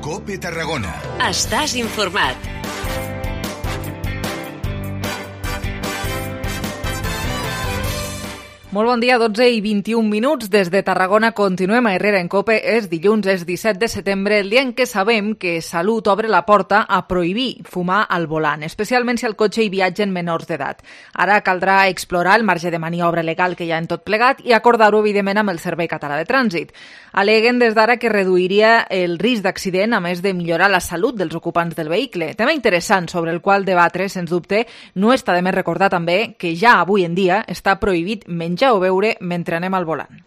COPE Tarragona. Estàs informat. Molt bon dia, 12 i 21 minuts. Des de Tarragona continuem a Herrera en COPE. És dilluns, és 17 de setembre, el dia en què sabem que Salut obre la porta a prohibir fumar al volant, especialment si al cotxe hi viatgen menors d'edat. Ara caldrà explorar el marge de maniobra legal que hi ha en tot plegat i acordar-ho, evidentment, amb el Servei Català de Trànsit. Aleguen des d'ara que reduiria el risc d'accident, a més de millorar la salut dels ocupants del vehicle. Tema interessant sobre el qual debatre, sens dubte. No està de més recordar també que ja avui en dia està prohibit menjar o beure mentre anem al volant.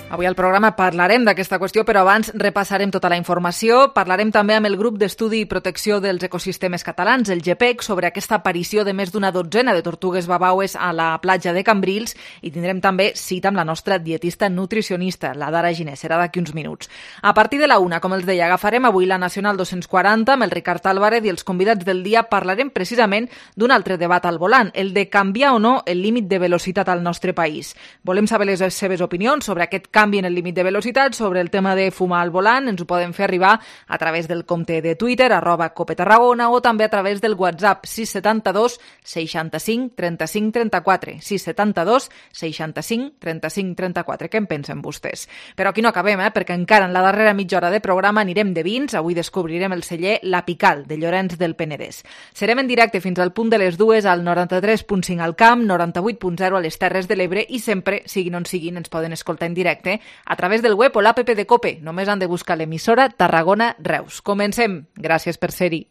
Avui al programa parlarem d'aquesta qüestió, però abans repassarem tota la informació. Parlarem també amb el grup d'estudi i protecció dels ecosistemes catalans, el GEPEC, sobre aquesta aparició de més d'una dotzena de tortugues babaues a la platja de Cambrils, i tindrem també cita amb la nostra dietista nutricionista, la Dara Giner. Serà d'aquí uns minuts. A partir de la 1, com els deia, agafarem avui la Nacional 240 amb el Ricard Álvarez i els convidats del dia. Parlarem precisament d'un altre debat al volant, el de canviar o no el límit de velocitat al nostre país. Volem saber les seves opinions sobre aquest canvi en el límit de velocitat, sobre el tema de fumar al volant. Ens ho poden fer arribar a través del compte de Twitter, @COPETarragona, o també a través del WhatsApp 672 65 35 34. 672 65 35 34. Què en pensen vostès? Però aquí no acabem, perquè encara en la darrera mitja hora de programa anirem de vins. Avui descobrirem el celler La Pical, de Llorenç del Penedès. Serem en directe fins al punt de les 2 al 93.5 al Camp, 98.0 a les Terres de l'Ebre, i sempre, siguin on siguin, ens poden escoltar en directe a través del web o l'app de COPE. Només han de buscar l'emissora Tarragona Reus. Comencem. Gràcies per ser-hi.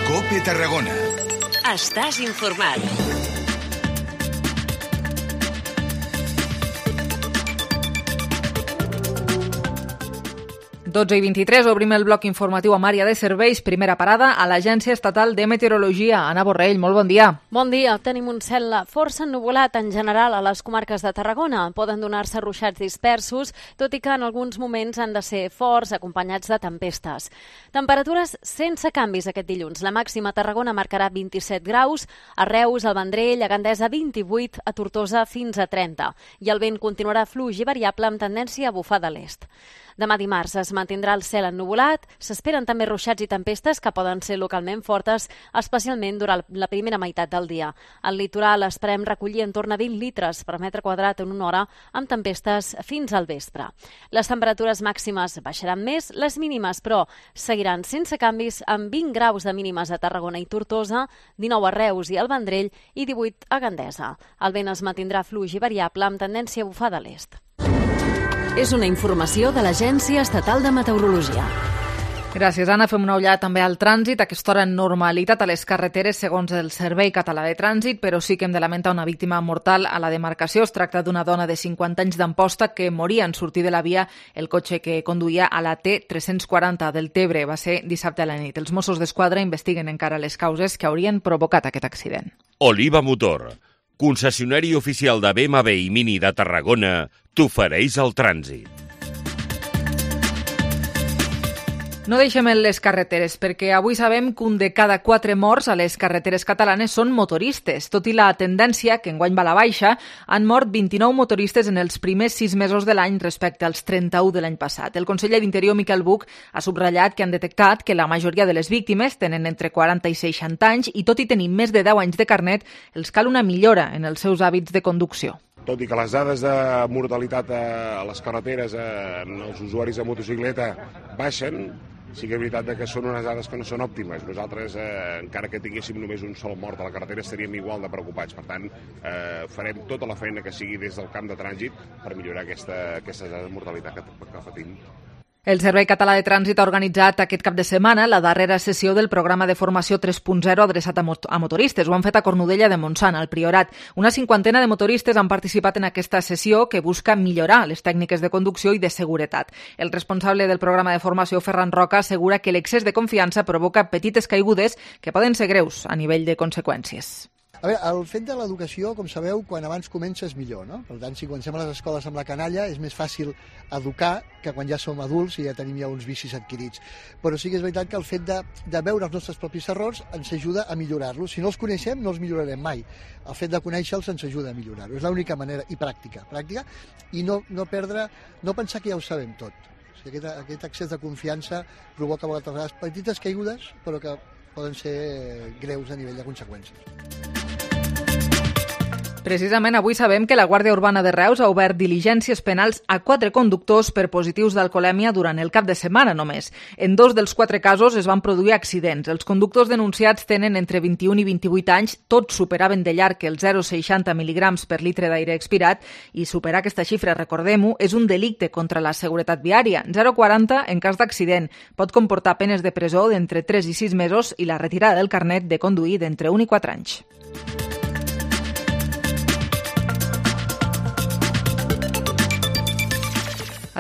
COPE Tarragona. Estàs informat. 12 i 23, obrim el bloc informatiu amb àrea de serveis. Primera parada a l'Agència Estatal de Meteorologia. Anna Borrell, molt bon dia. Bon dia. Tenim un cel força ennuvolat en general a les comarques de Tarragona. Poden donar-se ruixats dispersos, tot i que en alguns moments han de ser forts, acompanyats de tempestes. Temperatures sense canvis aquest dilluns. La màxima a Tarragona marcarà 27 graus, a Reus, al Vendrell, a Gandesa 28, a Tortosa fins a 30. I el vent continuarà fluix i variable amb tendència a bufar de l'est. Demà dimarts es mantindrà el cel ennuvolat, s'esperen també ruixats i tempestes que poden ser localment fortes, especialment durant la primera meitat del dia. Al litoral esperem recollir en torn a 20 litres per metre quadrat en una hora, amb tempestes fins al vespre. Les temperatures màximes baixaran més, les mínimes, però, seguiran sense canvis, amb 20 graus de mínimes a Tarragona i Tortosa, 19 a Reus i al Vendrell i 18 a Gandesa. El vent es mantindrà fluix i variable amb tendència a bufar de l'est. És una informació de l'Agència Estatal de Meteorologia. Gràcies, Anna. Fem una ullada també al trànsit. A aquesta hora normalitat a les carreteres segons el Servei Català de Trànsit, però sí que hem de lamentar una víctima mortal a la demarcació. Es tracta d'una dona de 50 anys d'Amposta que moria en sortir de la via el cotxe que conduïa a la T340 del Tebre. Va ser dissabte a la nit. Els Mossos d'Esquadra investiguen encara les causes que haurien provocat aquest accident. Oliva Motor, concessionari oficial de BMW i Mini de Tarragona, t'ofereix el trànsit. No deixem les carreteres, perquè avui sabem que un de cada 4 morts a les carreteres catalanes són motoristes. Tot i la tendència, que enguany va a la baixa, han mort 29 motoristes en els primers 6 mesos de l'any respecte als 31 de l'any passat. El conseller d'Interior, Miquel Buch, ha subratllat que han detectat que la majoria de les víctimes tenen entre 40 i 60 anys i, tot i tenir més de 10 anys de carnet, els cal una millora en els seus hàbits de conducció. Tot i que les dades de mortalitat a les carreteres en els usuaris de motocicleta baixen, sí que és veritat que són unes dades que no són òptimes. Nosaltres, encara que tinguéssim només un sol mort a la carretera, estaríem igual de preocupats. Per tant, farem tota la feina que sigui des del camp de trànsit per millorar aquesta dada de mortalitat que patim. El Servei Català de Trànsit ha organitzat aquest cap de setmana la darrera sessió del programa de formació 3.0 adreçat a motoristes. Ho han fet a Cornudella de Montsant, al Priorat. Una 50ena de motoristes han participat en aquesta sessió que busca millorar les tècniques de conducció i de seguretat. El responsable del programa de formació, Ferran Roca, assegura que l'excés de confiança provoca petites caigudes que poden ser greus a nivell de conseqüències. A veure, el fet de l'educació, com sabeu, quan abans comences millor, no? Per tant, si comencem a les escoles amb la canalla, és més fàcil educar que quan ja som adults i ja tenim ja uns vicis adquirits. Però sí que és veritat que el fet de veure els nostres propis errors ens ajuda a millorar-los. Si no els coneixem, no els millorarem mai. El fet de conèixer-los ens ajuda a millorar-ho. És l'única manera, i pràctica, i no pensar que ja ho sabem tot. O sigui, aquest excés de confiança provoca a vegades petites caigudes, però que poden ser greus a nivell de conseqüències. Precisament avui sabem que la Guàrdia Urbana de Reus ha obert diligències penals a 4 conductors per positius d'alcoholèmia durant el cap de setmana només. En 2 dels 4 casos es van produir accidents. Els conductors denunciats tenen entre 21 i 28 anys, tots superaven de llarg els 0,60 mil·ligrams per litre d'aire expirat i superar aquesta xifra, recordem-ho, és un delicte contra la seguretat viària. 0,40 en cas d'accident. Pot comportar penes de presó d'entre 3 i 6 mesos i la retirada del carnet de conduir d'entre 1 i 4 anys.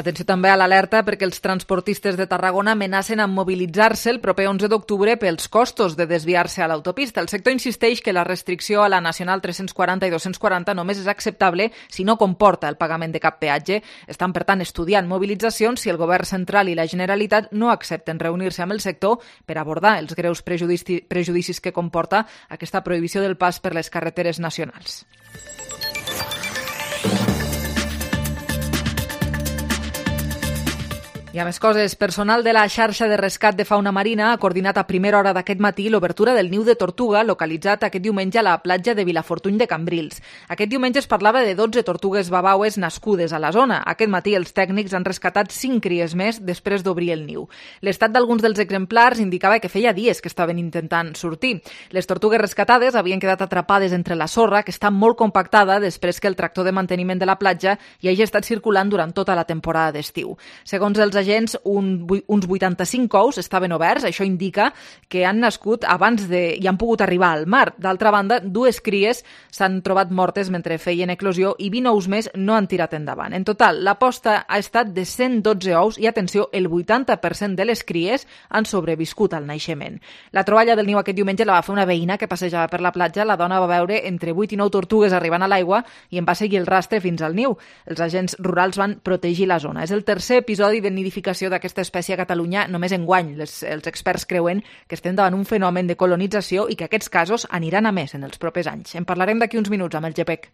Atenció també a l'alerta perquè els transportistes de Tarragona amenacen amb mobilitzar-se el proper 11 d'octubre pels costos de desviar-se a l'autopista. El sector insisteix que la restricció a la Nacional 340 i 240 només és acceptable si no comporta el pagament de cap peatge. Estan, per tant, estudiant mobilitzacions si el govern central i la Generalitat no accepten reunir-se amb el sector per abordar els greus prejudicis que comporta aquesta prohibició del pas per les carreteres nacionals. I a més coses, personal de la xarxa de rescat de fauna marina ha coordinat a primera hora d'aquest matí l'obertura del niu de tortuga localitzat aquest diumenge a la platja de Vilafortuny de Cambrils. Aquest diumenge es parlava de 12 tortugues babaues nascudes a la zona. Aquest matí els tècnics han rescatat 5 cries més després d'obrir el niu. L'estat d'alguns dels exemplars indicava que feia dies que estaven intentant sortir. Les tortugues rescatades havien quedat atrapades entre la sorra, que està molt compactada després que el tractor de manteniment de la platja hi hagi estat circulant durant tota la temporada d'estiu. Segons els agents, uns 85 ous estaven oberts. Això indica que han nascut abans i han pogut arribar al mar. D'altra banda, 2 cries s'han trobat mortes mentre feien eclosió i 20 ous més no han tirat endavant. En total, l'aposta ha estat de 112 ous i, atenció, el 80% de les cries han sobreviscut al naixement. La troballa del niu aquest diumenge la va fer una veïna que passejava per la platja. La dona va veure entre 8 i 9 tortugues arribant a l'aigua i en va seguir el rastre fins al niu. Els agents rurals van protegir la zona. És el tercer episodi de nidificació d'aquesta espècie a Catalunya només enguany. Els experts creuen que estem davant un fenomen de colonització i que aquests casos aniran a més en els propers anys. En parlarem d'aquí uns minuts amb el GPEC.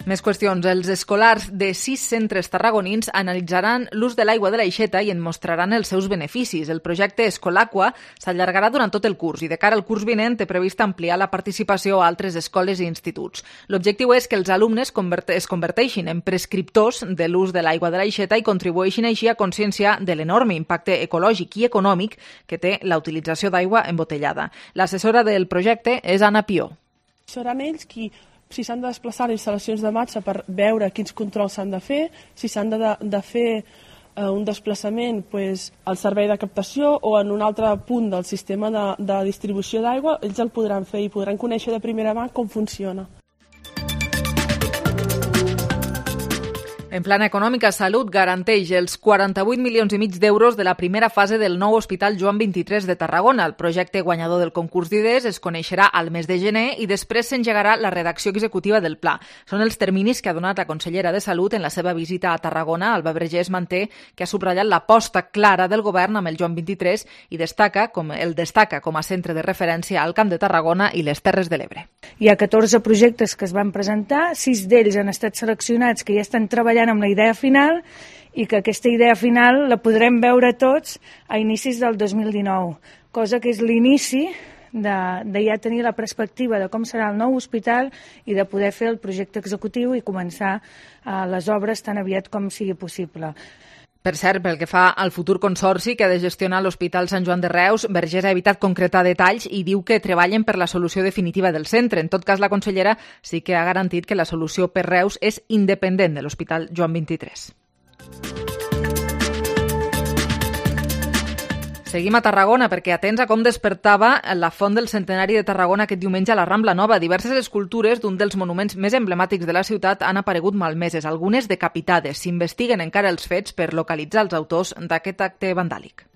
Més qüestions. Els escolars de 6 centres tarragonins analitzaran l'ús de l'aigua de l'Aixeta i en mostraran els seus beneficis. El projecte Escolaqua s'allargarà durant tot el curs i de cara al curs vinent té previst ampliar la participació a altres escoles i instituts. L'objectiu és que els alumnes es converteixin en prescriptors de l'ús de l'aigua de l'Aixeta i contribueixin així a conscienciar de l'enorme impacte ecològic i econòmic que té la utilització d'aigua embotellada. L'assessora del projecte és Anna Pió. Seran ells qui, si s'han de desplaçar a instal·lacions de matxa per veure quins controls s'han de fer, si s'han de fer un desplaçament al servei de captació o en un altre punt del sistema de distribució d'aigua, ells el podran fer i podran conèixer de primera mà com funciona. En plana econòmica, Salut garanteix els 48 milions i mig d'euros de la primera fase del nou Hospital Joan 23 de Tarragona. El projecte guanyador del concurs d'idees es coneixerà al mes de gener i després s'engegarà la redacció executiva del pla. Són els terminis que ha donat la consellera de Salut en la seva visita a Tarragona. Alba Vergés manté que ha subratllat l'aposta clara del govern amb el Joan 23 i destaca com a centre de referència al Camp de Tarragona i les Terres de l'Ebre. Hi ha 14 projectes que es van presentar, 6 d'ells han estat seleccionats que ja estan treballant amb la idea final i que aquesta idea final la podrem veure tots a inicis del 2019, cosa que és l'inici de ja tenir la perspectiva de com serà el nou hospital i de poder fer el projecte executiu i començar les obres tan aviat com sigui possible. Per cert, pel que fa al futur consorci que ha de gestionar l'Hospital Sant Joan de Reus, Vergés ha evitat concretar detalls i diu que treballen per la solució definitiva del centre. En tot cas, la consellera sí que ha garantit que la solució per Reus és independent de l'Hospital Joan 23. Seguim a Tarragona perquè atents a com despertava la Font del Centenari de Tarragona aquest diumenge a la Rambla Nova. Diverses escultures d'un dels monuments més emblemàtics de la ciutat han aparegut malmeses, algunes decapitades. S'investiguen encara els fets per localitzar els autors d'aquest acte vandàlic.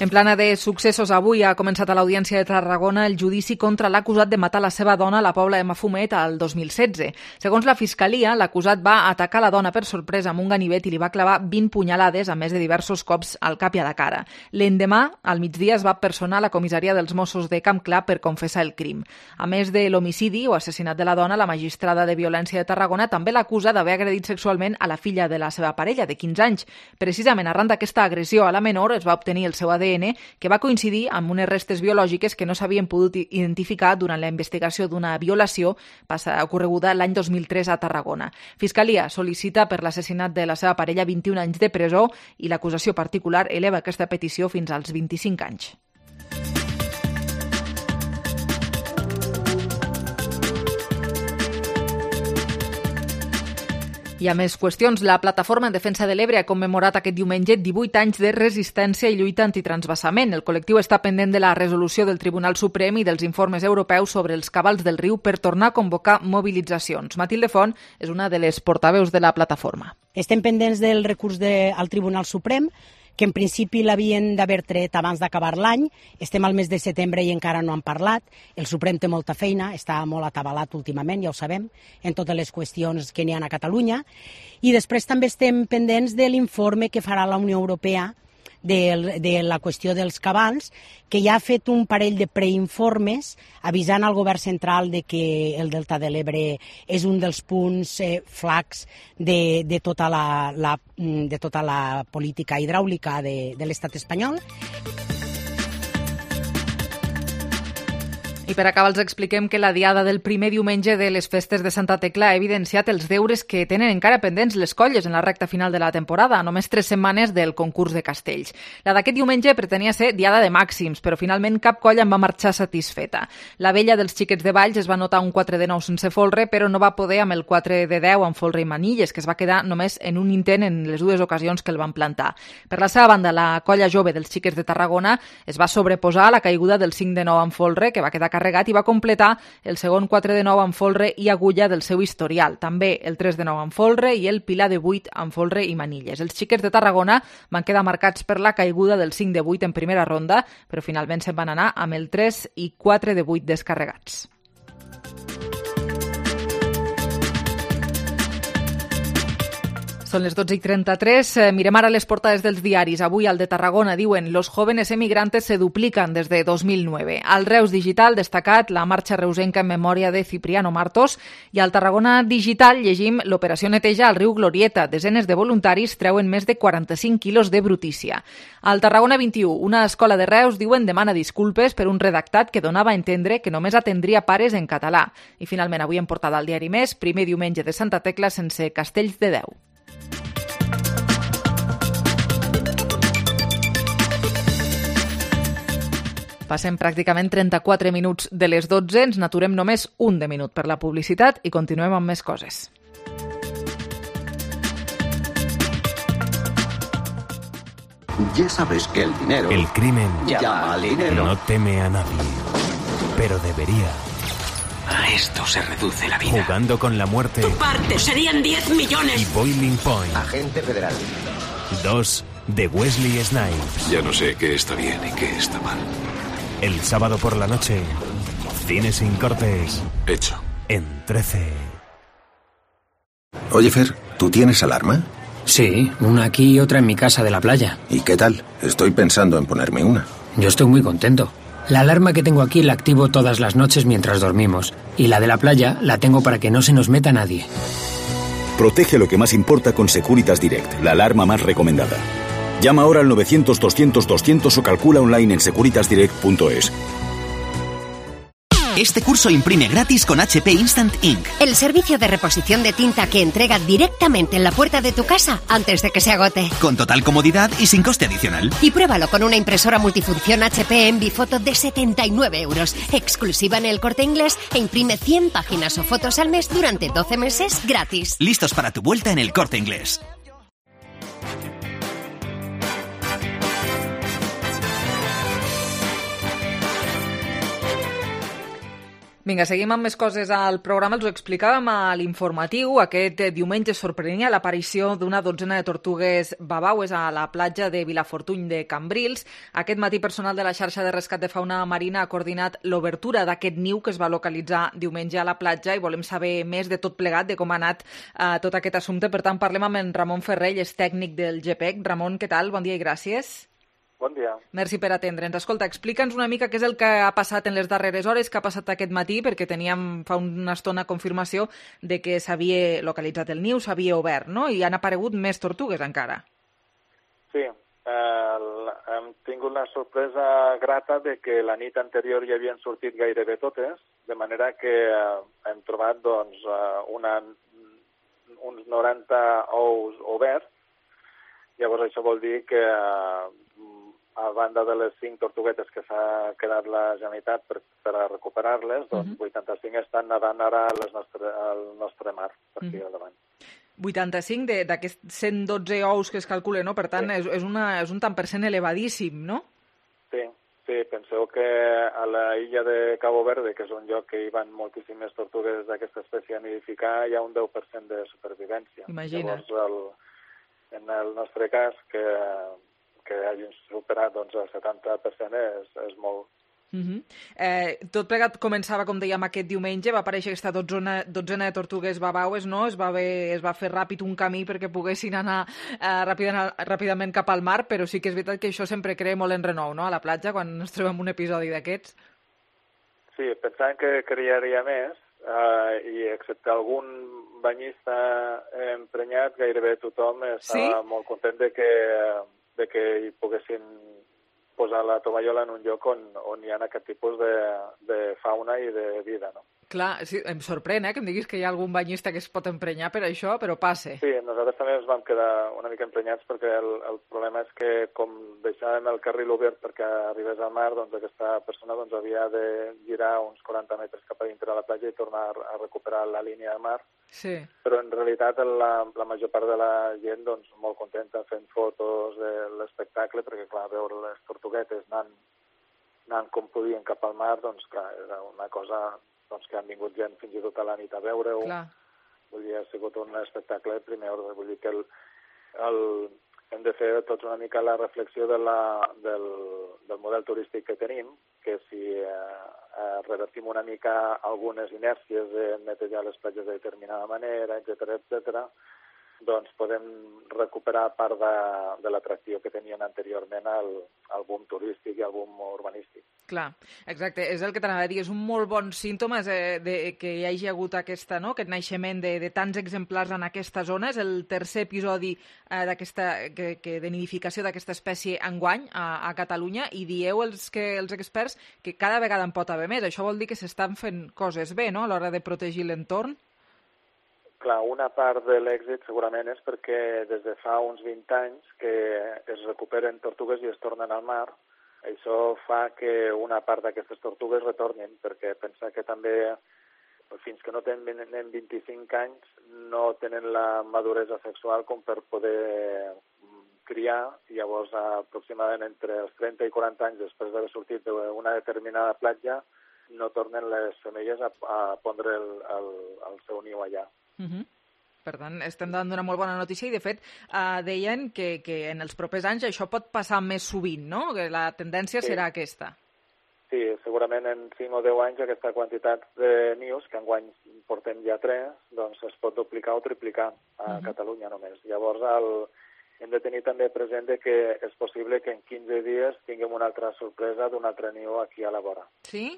En plana de successos, avui ha començat a l'Audiència de Tarragona el judici contra l'acusat de matar la seva dona a la Pobla de Mafumet al 2016. Segons la Fiscalia, l'acusat va atacar la dona per sorpresa amb un ganivet i li va clavar 20 punyalades, a més de diversos cops al cap i a la cara. L'endemà, al migdia, es va personar a la comissaria dels Mossos de Camp Clar per confessar el crim. A més de l'homicidi o assassinat de la dona, la magistrada de Violència de Tarragona també l'acusa d'haver agredit sexualment a la filla de la seva parella, de 15 anys. Precisament arran d'aquesta agressió a la menor es va obtenir el seu ADN, que va coincidir amb unes restes biològiques que no s'havien pogut identificar durant la investigació d'una violació ocorreguda l'any 2003 a Tarragona. Fiscalia sol·licita per l'assassinat de la seva parella 21 anys de presó i l'acusació particular eleva aquesta petició fins als 25 anys. Hi ha més qüestions. La Plataforma en Defensa de l'Ebre ha commemorat aquest diumenge 18 anys de resistència i lluita antitransvasament. El col·lectiu està pendent de la resolució del Tribunal Suprem i dels informes europeus sobre els cabals del riu per tornar a convocar mobilitzacions. Matilde Font és una de les portaveus de la plataforma. Estem pendents del recurs al Tribunal Suprem, que en principi l'havien d'haver tret abans d'acabar l'any. Estem al mes de setembre i encara no han parlat. El Suprem té molta feina, està molt atabalat últimament, ja ho sabem, en totes les qüestions que n'hi ha a Catalunya. I després també estem pendents de l'informe que farà la Unió Europea de la qüestió dels cabals, que ja ha fet un parell de preinformes avisant al govern central de que el Delta de l'Ebre és un dels punts flacs de tota la política hidràulica de l'estat espanyol. I per acabar els expliquem que la diada del primer diumenge de les festes de Santa Tecla ha evidenciat els deures que tenen encara pendents les colles en la recta final de la temporada, a només 3 setmanes del concurs de castells. La d'aquest diumenge pretenia ser diada de màxims, però finalment cap colla en va marxar satisfeta. La vella dels xiquets de Valls es va notar un 4 de 9 sense folre, però no va poder amb el 4 de 10 amb folre i manilles, que es va quedar només en un intent en les dues ocasions que el van plantar. Per la seva banda, la colla jove dels xiquets de Tarragona es va sobreposar a la caiguda del 5 de 9 amb folre, que va quedar carregat, i va completar el segon 4 de 9 amb folre i agulla del seu historial. També el 3 de 9 amb folre i el pilar de 8 amb folre i manilles. Els xiquets de Tarragona van quedar marcats per la caiguda del 5 de 8 en primera ronda, però finalment se'n van anar amb el 3 i 4 de 8 descarregats. Són les 12:33. Mirem ara les portades dels diaris. Avui al de Tarragona diuen «Los jóvenes emigrantes se duplican desde 2009». Al Reus Digital destacat la marxa reusenca en memòria de Cipriano Martos i al Tarragona Digital llegim l'operació neteja al riu Glorieta. Desenes de voluntaris treuen més de 45 quilos de brutícia. Al Tarragona 21, una escola de Reus diuen demana disculpes per un redactat que donava a entendre que només atendria pares en català. I finalment avui en portada al diari Més, primer diumenge de Santa Tecla sense castells de Déu. Passem pràcticament 34 minuts de les 12, ens n'aturem només un de minut per la publicitat i continuem amb més coses. Ya sabes que el dinero... El crimen llama al dinero. No teme a nadie, pero debería. A esto se reduce la vida. Jugando con la muerte. Tu parte serían 10 millones. Y Boiling Point. Agente federal. 2 de Wesley Snipes. Ya no sé qué está bien y qué está mal. El sábado por la noche, Cine sin cortes. Hecho. En 13. Oye, Fer, ¿tú tienes alarma? Sí, una aquí y otra en mi casa de la playa. ¿Y qué tal? Estoy pensando en ponerme una. Yo estoy muy contento. La alarma que tengo aquí la activo todas las noches mientras dormimos. Y la de la playa la tengo para que no se nos meta nadie. Protege lo que más importa con Securitas Direct, la alarma más recomendada. Llama ahora al 900-200-200 o calcula online en securitasdirect.es. Este curso imprime gratis con HP Instant Ink. El servicio de reposición de tinta que entrega directamente en la puerta de tu casa antes de que se agote. Con total comodidad y sin coste adicional. Y pruébalo con una impresora multifunción HP Envifoto de 79 €, exclusiva en El Corte Inglés, e imprime 100 páginas o fotos al mes durante 12 meses gratis. Listos para tu vuelta en El Corte Inglés. Vinga, seguim amb més coses al programa. Els ho explicàvem a l'informatiu. Aquest diumenge sorprenia l'aparició d'una dotzena de tortugues babaues a la platja de Vilafortuny de Cambrils. Aquest matí, personal de la xarxa de rescat de fauna marina ha coordinat l'obertura d'aquest niu que es va localitzar diumenge a la platja i volem saber més de tot plegat, de com ha anat tot aquest assumpte. Per tant, parlem amb en Ramon Ferrell, és tècnic del GPEC. Ramon, què tal? Bon dia i gràcies. Bon dia. Merci per atendre'ns. Escolta, explica'ns una mica què és el que ha passat en les darreres hores, què ha passat aquest matí, perquè teníem fa una estona confirmació de que s'havia localitzat el niu, s'havia obert, no? I han aparegut més tortugues encara. Sí, hem tingut la sorpresa grata de que la nit anterior ja havien sortit gairebé totes, de manera que hem trobat doncs, uns 90 ous oberts. Llavors això vol dir que a banda de les 5 tortuguetes que s'ha quedat la Generalitat per a recuperar-les, doncs 85 estan nedant ara al nostre mar, per aquí al davant. 85 d'aquests 112 ous que es calculen, no? Per tant, és un tant per cent elevadíssim, no? Sí, penseu que a la illa de Cabo Verde, que és un lloc que hi van moltíssimes tortugues d'aquesta espècie a nidificar, hi ha un 10% de supervivència. Imagina't. Llavors, en el nostre cas, que hagin superat doncs, el 70% és molt. Tot plegat començava, com dèiem, aquest diumenge, va aparèixer aquesta dotzena de tortugues babaues, no? Es va fer ràpid un camí perquè poguessin anar ràpidament cap al mar, però sí que és veritat que això sempre crea molt enrenou, no?, a la platja, quan ens trobem un episodi d'aquests. Sí, pensàvem que crearia més, i excepte algun banyista emprenyat, gairebé tothom estava molt content de que hi poguessin posar la tovallola en un lloc on hi ha aquest tipus de fauna i de vida, no? Clar, sí, em sorprèn, que em diguis que hi ha algun banyista que es pot emprenyar per això, però passe. Sí, nosaltres també ens vam quedar una mica emprenyats perquè el problema és que com deixàvem el carril obert perquè arribés al mar, doncs aquesta persona havia de girar uns 40 metres cap a dintre de la platja i tornar a recuperar la línia de mar. Sí. Però en realitat la major part de la gent doncs, molt contenta fent fotos de l'espectacle, perquè clar, veure les tortuguetes anant com podien cap al mar, doncs clar, era una cosa doncs, que han vingut gent fins i tot a la nit a veure-ho. Vull dir, ha sigut un espectacle de primer ordre. Vull dir que hem de fer tots una mica la reflexió del model turístic que tenim, que si revertim una mica algunes inèrcies de netejar les platges de determinada manera, etc., doncs podem recuperar part de l'atracció que tenien anteriorment al boom turístic i al boom urbanístic. Clar, exacte, és el que t'anava a dir, és un molt bon símptoma que hi hagi hagut aquest naixement de tants exemplars en aquesta zona. És el tercer episodi de nidificació d'aquesta espècie enguany a Catalunya, i dieu els experts que cada vegada en pot haver més. Això vol dir que s'estan fent coses bé, no?, a l'hora de protegir l'entorn? Clar, una part de l'èxit segurament és perquè des de fa uns 20 anys que es recuperen tortugues i es tornen al mar. Això fa que una part d'aquestes tortugues retornin, perquè pensa que també fins que no tenen 25 anys no tenen la maduresa sexual com per poder criar, i llavors aproximadament entre els 30 i 40 anys després d'haver sortit d'una determinada platja no tornen les femelles a pondre el seu niu allà. Per tant, estem davant d'una molt bona notícia i, de fet, deien que en els propers anys això pot passar més sovint, no?, que la tendència serà aquesta. Sí, segurament en 5 o 10 anys aquesta quantitat de nius, que enguany portem ja 3, doncs es pot duplicar o triplicar a Catalunya només. Llavors hem de tenir també present que és possible que en 15 dies tinguem una altra sorpresa d'un altre niu aquí a la vora. Sí?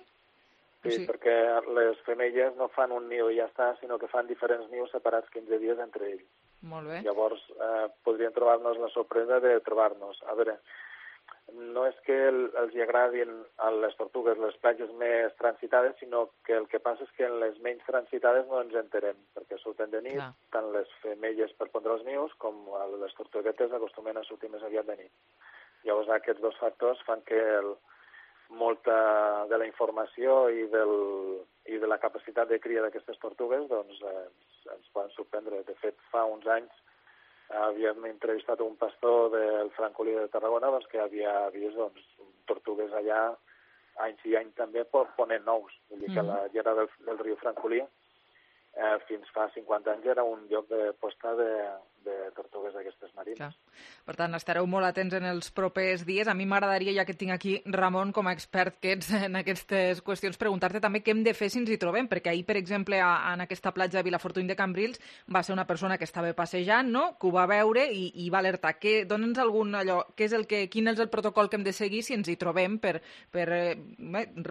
Sí, perquè les femelles no fan un niu i ja està, sinó que fan diferents nius separats 15 dies entre ells. Molt bé. Llavors podríem trobar-nos la sorpresa de trobar-nos. A veure, no és que els hi agradin a les tortugues les platges més transitades, sinó que el que passa és que en les menys transitades no ens enterem, perquè surten de nit, tant les femelles per pondre els nius com les tortuguetes acostumen a sortir més aviat de nit. Llavors aquests dos factors fan que molta de la informació i de la capacitat de cria d'aquestes tortugues doncs, ens poden sorprendre. De fet, fa uns anys havíem entrevistat un pastor del Francolí de Tarragona doncs, que havia vist tortugues allà any sí any també ponent nous. Vull dir que la llera del riu Francolí fins fa 50 anys era un lloc de posta de tortugues d'aquestes marines. Clar. Per tant, estareu molt atents en els propers dies. A mi m'agradaria, ja que tinc aquí Ramon com a expert que ets en aquestes qüestions, preguntar-te també què hem de fer si ens hi trobem, perquè ahir, per exemple, en aquesta platja de Vilafortuny de Cambrils va ser una persona que estava passejant, no?, que ho va veure i va alertar. Dóna'ns quin és el protocol que hem de seguir si ens hi trobem per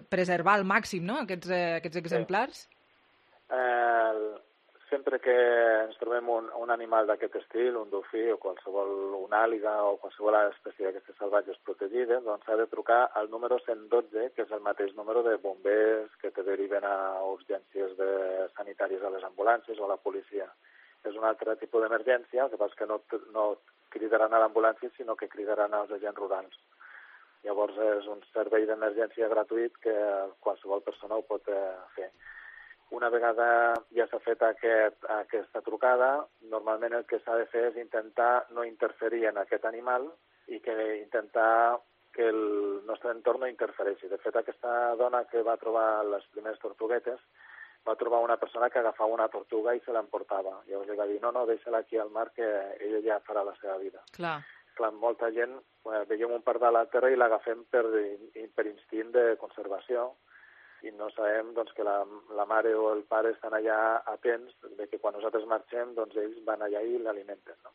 preservar al màxim, no?, aquests exemplars? Sempre que ens trobem un animal d'aquest estil, un dofí o una àliga o qualsevol espècie d'aquestes salvatges protegides, doncs s'ha de trucar al número 112, que és el mateix número de bombers que te deriven a urgències sanitàries a les ambulàncies o a la policia. És un altre tipus d'emergència, el que passa és que no cridaran a l'ambulància, sinó que cridaran als agents rurals. Llavors és un servei d'emergència gratuït que qualsevol persona ho pot fer. Una vegada ja s'ha fet aquesta trucada, normalment el que s'ha de fer és intentar no interferir en aquest animal i intentar que el nostre entorn no interfereixi. De fet, aquesta dona que va trobar les primeres tortuguetes va trobar una persona que agafava una tortuga i se l'emportava. Llavors li va dir, no, deixa-la aquí al mar que ella ja farà la seva vida. Clar, molta gent veiem un pardal a terra i l'agafem per instint de conservació, i no sabem que la mare o el pare estan allà atents de que quan nosaltres marxem ells van allà i l'alimenten. No?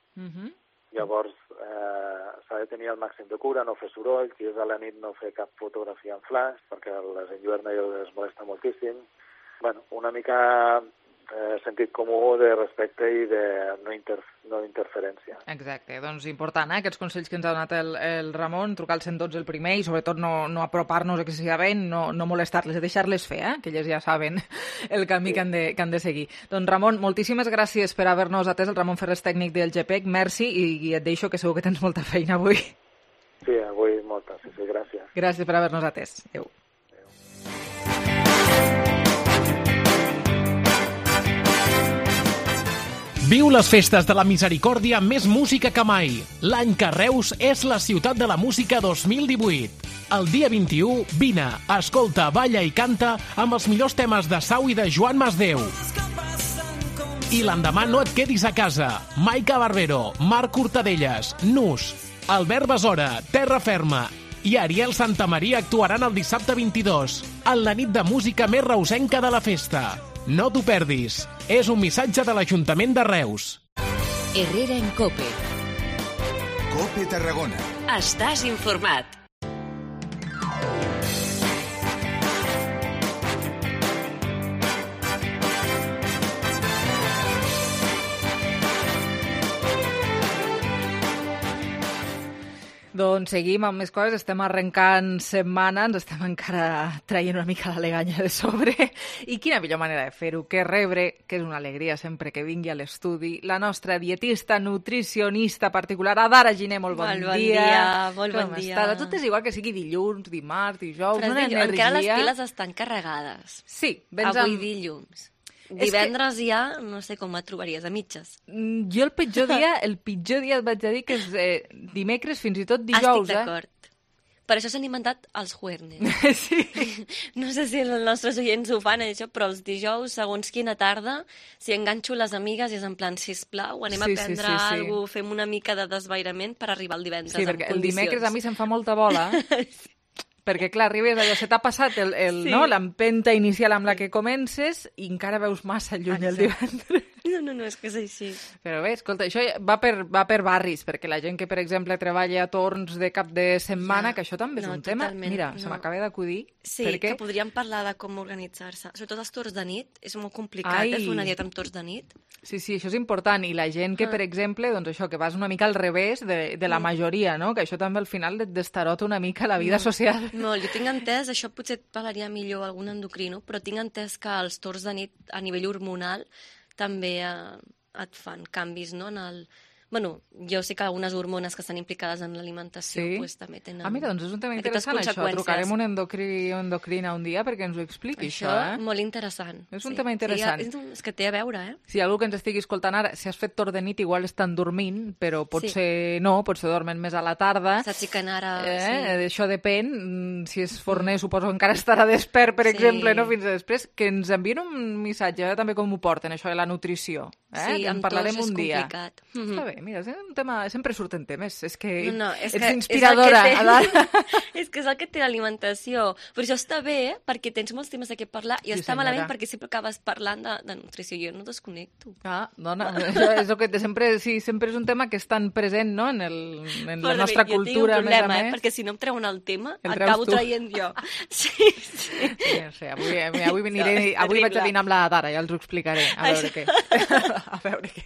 Llavors s'ha de tenir el màxim de cura, no fer soroll, si és a la nit no fer cap fotografia en flash perquè les enlluerna i els molesta moltíssim. Una mica sentit comú de respecte i de no interferència. Exacte, doncs important, aquests consells que ens ha donat el Ramon, trucar al 112 el primer i sobretot no apropar-nos excessivament, no molestar-les, deixar-les fer, que elles ja saben el camí que han de seguir. Doncs Ramon, moltíssimes gràcies per haver-nos atès, el Ramon Ferrés, tècnic del GPEC, merci i et deixo que segur que tens molta feina avui. Sí, avui molta, sí, gràcies. Gràcies per haver-nos atès. Adéu. Viu les festes de la Misericòrdia amb més música que mai. L'any que Reus és la ciutat de la música 2018. El dia 21, vine, escolta, balla i canta amb els millors temes de Sau i de Joan Masdeu. I l'endemà no et quedis a casa. Maica Barbero, Marc Cortadelles, Nus, Albert Besora, Terra Ferma i Ariel Santamaria actuaran el dissabte 22, en la nit de música més reusenca de la festa. No t'ho perdis. És un missatge de l'Ajuntament de Reus. Herrera en COPE. COPE Tarragona. Estàs informat. Doncs seguim amb més coses, estem arrencant setmana, ens estem encara traient una mica la leganya de sobre. I quina millor manera de fer-ho que rebre, que és una alegria sempre que vingui a l'estudi, la nostra dietista, nutricionista particular, Adara Giner, molt bon dia. Molt bon dia. Com estàs? A tu t'és igual que sigui dilluns, dimarts, dijous, una energia... Encara les piles estan carregades. Sí. Avui dilluns. Divendres ja, no sé com et trobaries, a mitges. Jo el pitjor dia et vaig a dir que és dimecres, fins i tot dijous. Estic d'acord. Per això s'han inventat els juernes. Sí. No sé si els nostres oients ho fan, això, però els dijous, segons quina tarda, si enganxo les amigues és en plan, sisplau, anem a prendre alguna cosa, fem una mica de desvairament per arribar el divendres en condicions. Sí, perquè el dimecres a mi se'm fa molta bola, perquè, clar, arribes allò, se t'ha passat l'empenta inicial amb la que comences i encara veus massa lluny el divendres. No, és que és així. Però bé, escolta, això va per barris, perquè la gent que, per exemple, treballa a torns de cap de setmana, que això també és un tema. Mira, se m'acaba d'acudir. Sí, que podríem parlar de com organitzar-se. Sobretot els torns de nit, és molt complicat fer una dieta amb torns de nit. Sí, això és important. I la gent que, per exemple, doncs això, que vas una mica al revés de la majoria, no? Que això també al final et destarota una mica la vida social. No, jo tinc entès, això potser et parlaria millor algun endocrino, però tinc entès que els torns de nit a nivell hormonal també et fan canvis, no? Bueno, jo sé que algunes hormones que estan implicades en l'alimentació també tenen... mira, doncs és un tema interessant, això. Trucarem un endocrina un dia perquè ens ho expliqui, això. Molt interessant. És un tema interessant. És que té a veure, Si algú que ens estigui escoltant ara, si has fet torn de nit, igual estan dormint, però potser no, potser dormen més a la tarda. S'aixequen ara, Això depèn. Si és forner, suposo que encara estarà despert, per exemple, no? Fins a després. Que ens envien un missatge, també com ho porten, això de la nutrició. Sí, en parlarem un dia. Complicat. Està bé, mira, és un tema... Sempre surten temes. És que és ets inspiradora. És que és el que té l'alimentació. Però això està bé, perquè tens molts temes de què parlar, i està malament perquè sempre acabes parlant de nutrició. Jo no desconnecto. Dona, és el que sempre és un tema que és tan present, no?, en la nostra cultura. Jo tinc un problema, perquè si no em treuen el tema, acabo traient jo. Sí. No sé, avui vaig a dinar amb la Dara, ja els ho explicaré. A veure què.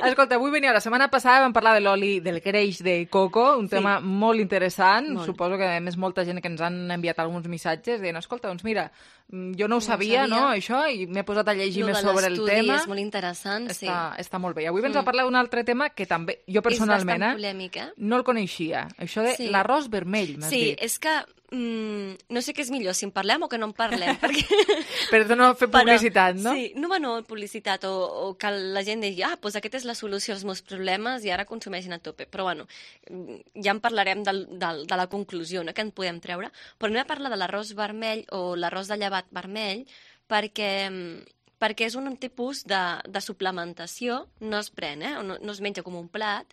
Escolta, avui venia, la setmana passada vam parlar de l'oli del greix de coco, un tema molt interessant. Suposo que a més molta gent que ens han enviat alguns missatges dient, escolta, doncs mira, jo no ho sabia, no, això, i m'he posat a llegir més sobre el tema. És molt interessant, sí. Està molt bé. Avui ens va parlar d'un altre tema que també, jo personalment, és bastant polèmic, no el coneixia. Això de l'arròs vermell, m'has dit. Sí, és que no sé què és millor, si en parlem o que no en parlem. Per no fer publicitat, no? Sí, no publicitat, o que la gent digui, doncs aquesta és la solució als meus problemes i ara consumeixin a tope. Però bueno, ja en parlarem de la conclusió, no?, que en podem treure. Però anem a parlar de l'arròs vermell o l'arròs de llevat vermell perquè és un tipus de suplementació, no es pren, no es menja com un plat,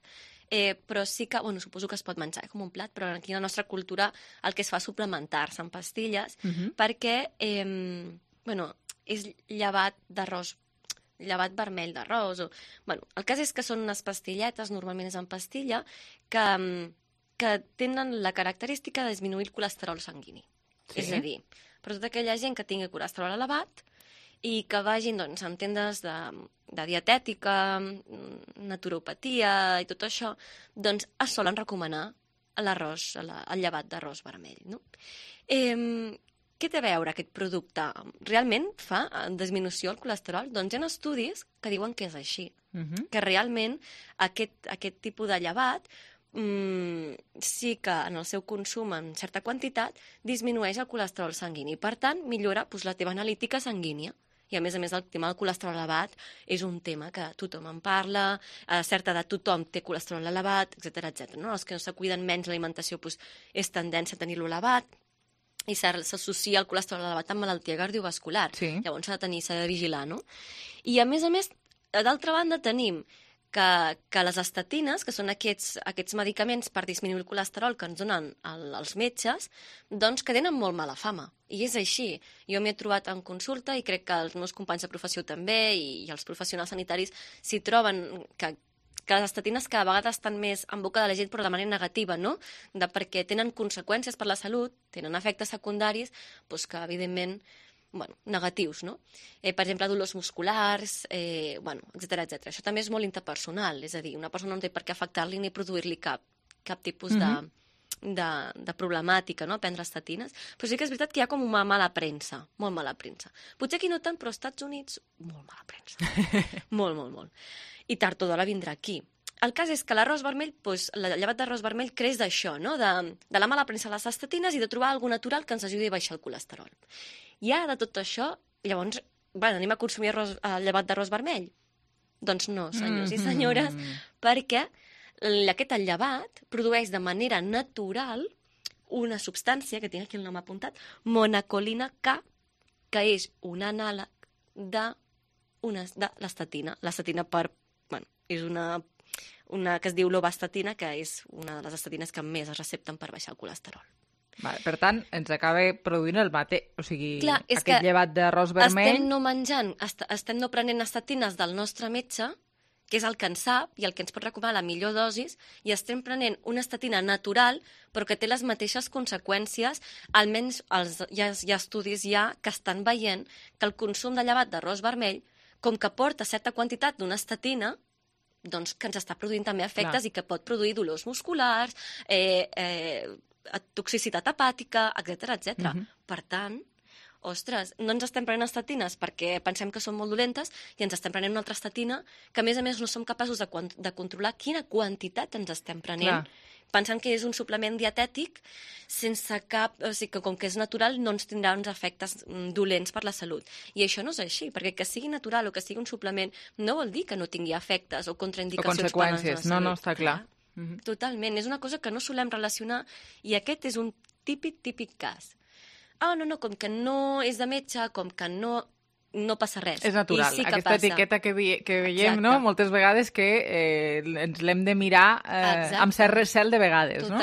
però sí que, suposo que es pot menjar com un plat, però aquí a la nostra cultura el que es fa és suplementar-se en pastilles, perquè és llevat d'arròs, llevat vermell d'arròs. El cas és que són unes pastilletes, normalment és en pastilla, que tenen la característica de disminuir el colesterol sanguini. És a dir, per tota aquella gent que tingui colesterol elevat i que vagin en tendes de dietètica, naturopatia i tot això, doncs es solen recomanar l'arròs, el llevat d'arròs vermell, no? Què té a veure aquest producte? Realment fa disminució del colesterol? Doncs hi ha estudis que diuen que és així, que realment aquest tipus de llevat sí que en el seu consum en certa quantitat disminueix el colesterol sanguini. Per tant, millora la teva analítica sanguínia. I a més el tema del colesterol elevat és un tema que tothom en parla, a certa edat tothom té colesterol elevat, etc. No? Els que no se cuiden menys l'alimentació és tendència a tenir-lo elevat i s'associa el colesterol elevat amb malaltia cardiovascular. Llavors s'ha de vigilar, no? I a més, d'altra banda tenim que les estatines, que són aquests medicaments per disminuir el colesterol que ens donen els metges, doncs que tenen molt mala fama. I és així. Jo m'hi he trobat en consulta i crec que els meus companys de professió també i els professionals sanitaris s'hi troben que les estatines cada vegada estan més en boca de la gent però de manera negativa, no? Perquè tenen conseqüències per la salut, tenen efectes secundaris que evidentment negatius, no? Per exemple, dolors musculars, etc. Això també és molt interpersonal, és a dir, una persona no té per què afectar-li ni produir-li cap tipus de problemàtica, no?, prendre estatines. Però sí que és veritat que hi ha com una mala premsa, molt mala premsa. Potser aquí no tant, però als Estats Units, molt mala premsa. Molt. I tard o d'hora vindrà aquí. El cas és que l'arròs vermell, el llevat d'arròs vermell creix d'això, no?, de la mala premsa de les estatines i de trobar alguna natural que ens ajudi a baixar el colesterol. I ara de tot això, llavors, anem a consumir llevat d'arròs vermell? Doncs no, senyors i senyores, perquè aquest llevat produeix de manera natural una substància, que tinc aquí el nom apuntat, monacolina K, que és un anàleg de l'estatina. L'estatina és una que es diu lovastatina, que és una de les estatines que més es recepten per baixar el colesterol. Vale, per tant, ens acaba produint el mateix, o sigui, clar, aquest llevat d'arròs vermell... Estem no prenent estatines del nostre metge, que és el que en sap i el que ens pot recomanar la millor dosis, i estem prenent una estatina natural, però que té les mateixes conseqüències, almenys hi ha estudis que estan veient que el consum de llevat d'arròs vermell, com que porta certa quantitat d'una estatina, doncs que ens està produint també efectes i que pot produir dolors musculars, toxicitat hepàtica, etc. Per tant, ostres, no ens estem prenent estatines perquè pensem que són molt dolentes i ens estem prenent una altra estatina que, a més, no som capaços de controlar quina quantitat ens estem prenent, pensant que és un suplement dietètic sense cap... O sigui, que com que és natural no ens tindrà uns efectes dolents per la salut. I això no és així, perquè que sigui natural o que sigui un suplement no vol dir que no tingui efectes o contraindicacions per la nostra salut. No, està clar. Totalment, és una cosa que no solem relacionar i aquest és un típic cas. No, com que no és de metge, com que no passa res. És natural. Sí aquesta etiqueta que veiem, no? Moltes vegades que ens l'hem de mirar amb cert recel de vegades, no?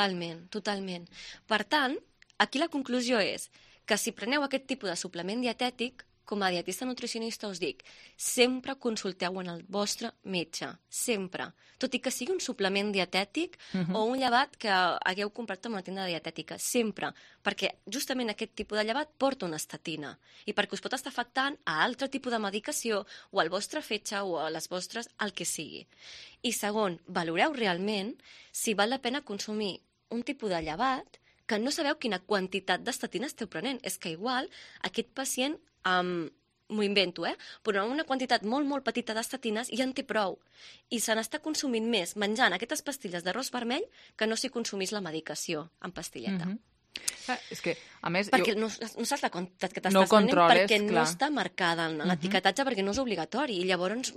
Totalment. Per tant, aquí la conclusió és que si preneu aquest tipus de suplement dietètic, com a dietista nutricionista us dic, sempre consulteu en el vostre metge, sempre. Tot i que sigui un suplement dietètic o un llevat que hagueu comprat en una tenda dietètica, sempre, perquè justament aquest tipus de llevat porta una estatina i perquè us pot estar afectant a altre tipus de medicació o al vostre fetge o a les vostres, el que sigui. I segon, valoreu realment si val la pena consumir un tipus de llevat que no sabeu quina quantitat d'estatina esteu prenent. És que igual aquest pacient m'ho invento, però una quantitat molt petita d'estatines ja en té prou. I se n'està consumint més menjant aquestes pastilles d'arròs vermell que no si consumís la medicació en pastilleta. És que, a més... Perquè no saps la quantitat que t'estàs prenent perquè no està marcada en l'etiquetatge, perquè no és obligatori. I llavors,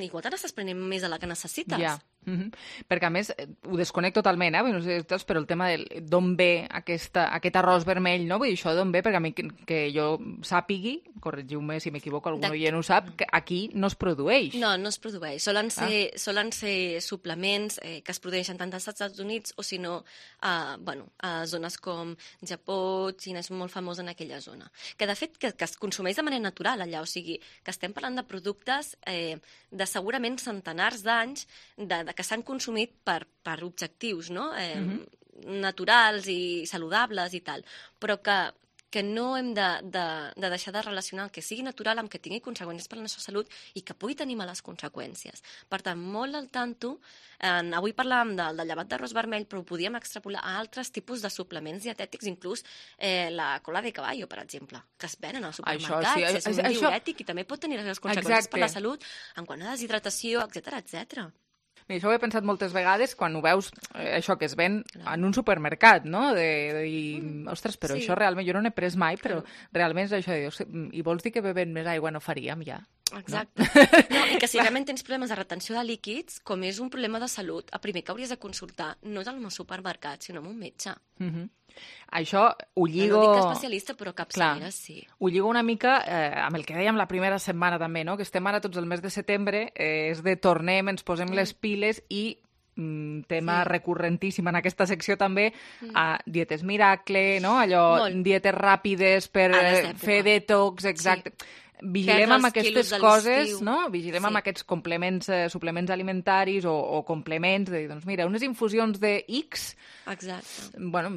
igual te n'estàs prenent més de la que necessites. Ja. Perquè, a més, ho desconec totalment, no sé, però el tema d'on ve aquest arròs vermell, no? Vull dir, això d'on ve, perquè a mi que jo sàpigui, corregiu-me si m'equivoco, algú ja no ho sap, que aquí no es produeix. No es produeix. Solen ser suplements que es produeixen tant als Estats Units o, si no, a zones com Japó, Xina és molt famós en aquella zona. Que, de fet, que es consumeix de manera natural allà, o sigui, que estem parlant de productes de segurament centenars d'anys que s'han consumit per objectius naturals i saludables i tal, però que no hem de deixar de relacionar el que sigui natural amb que tingui conseqüències per la nostra salut i que pugui tenir males conseqüències. Per tant, molt al tanto, avui parlàvem del llevat d'arròs vermell, però ho podíem extrapolar a altres tipus de suplements dietètics, inclús la cola de caballo, per exemple, que es venen als supermercats, és un diürètic i també pot tenir les conseqüències per la salut en quant a deshidratació, etc. Això ho he pensat moltes vegades quan ho veus, això que es ven en un supermercat, no? De dir, ostres, però això realment, jo no n'he pres mai, però realment és això de dir, i vols dir que bevent més aigua no faríem ja? Exacte. I que si realment tens problemes de retenció de líquids, com és un problema de salut, el primer que hauries de consultar no és al supermercat, sinó amb un metge. Això ho lligo... No dic especialista, però capçalera sí. Ho lligo una mica amb el que dèiem la primera setmana també, no? Que estem ara tots el mes de setembre, és de tornem, ens posem les piles i tema recurrentíssim en aquesta secció també, dietes miracle, no? Allò, dietes ràpides per fer detox, exacte. Vigilem amb aquestes coses, no? Vigilem amb aquests complements, suplements alimentaris o complements, de dir, doncs mira, unes infusions de X, bueno,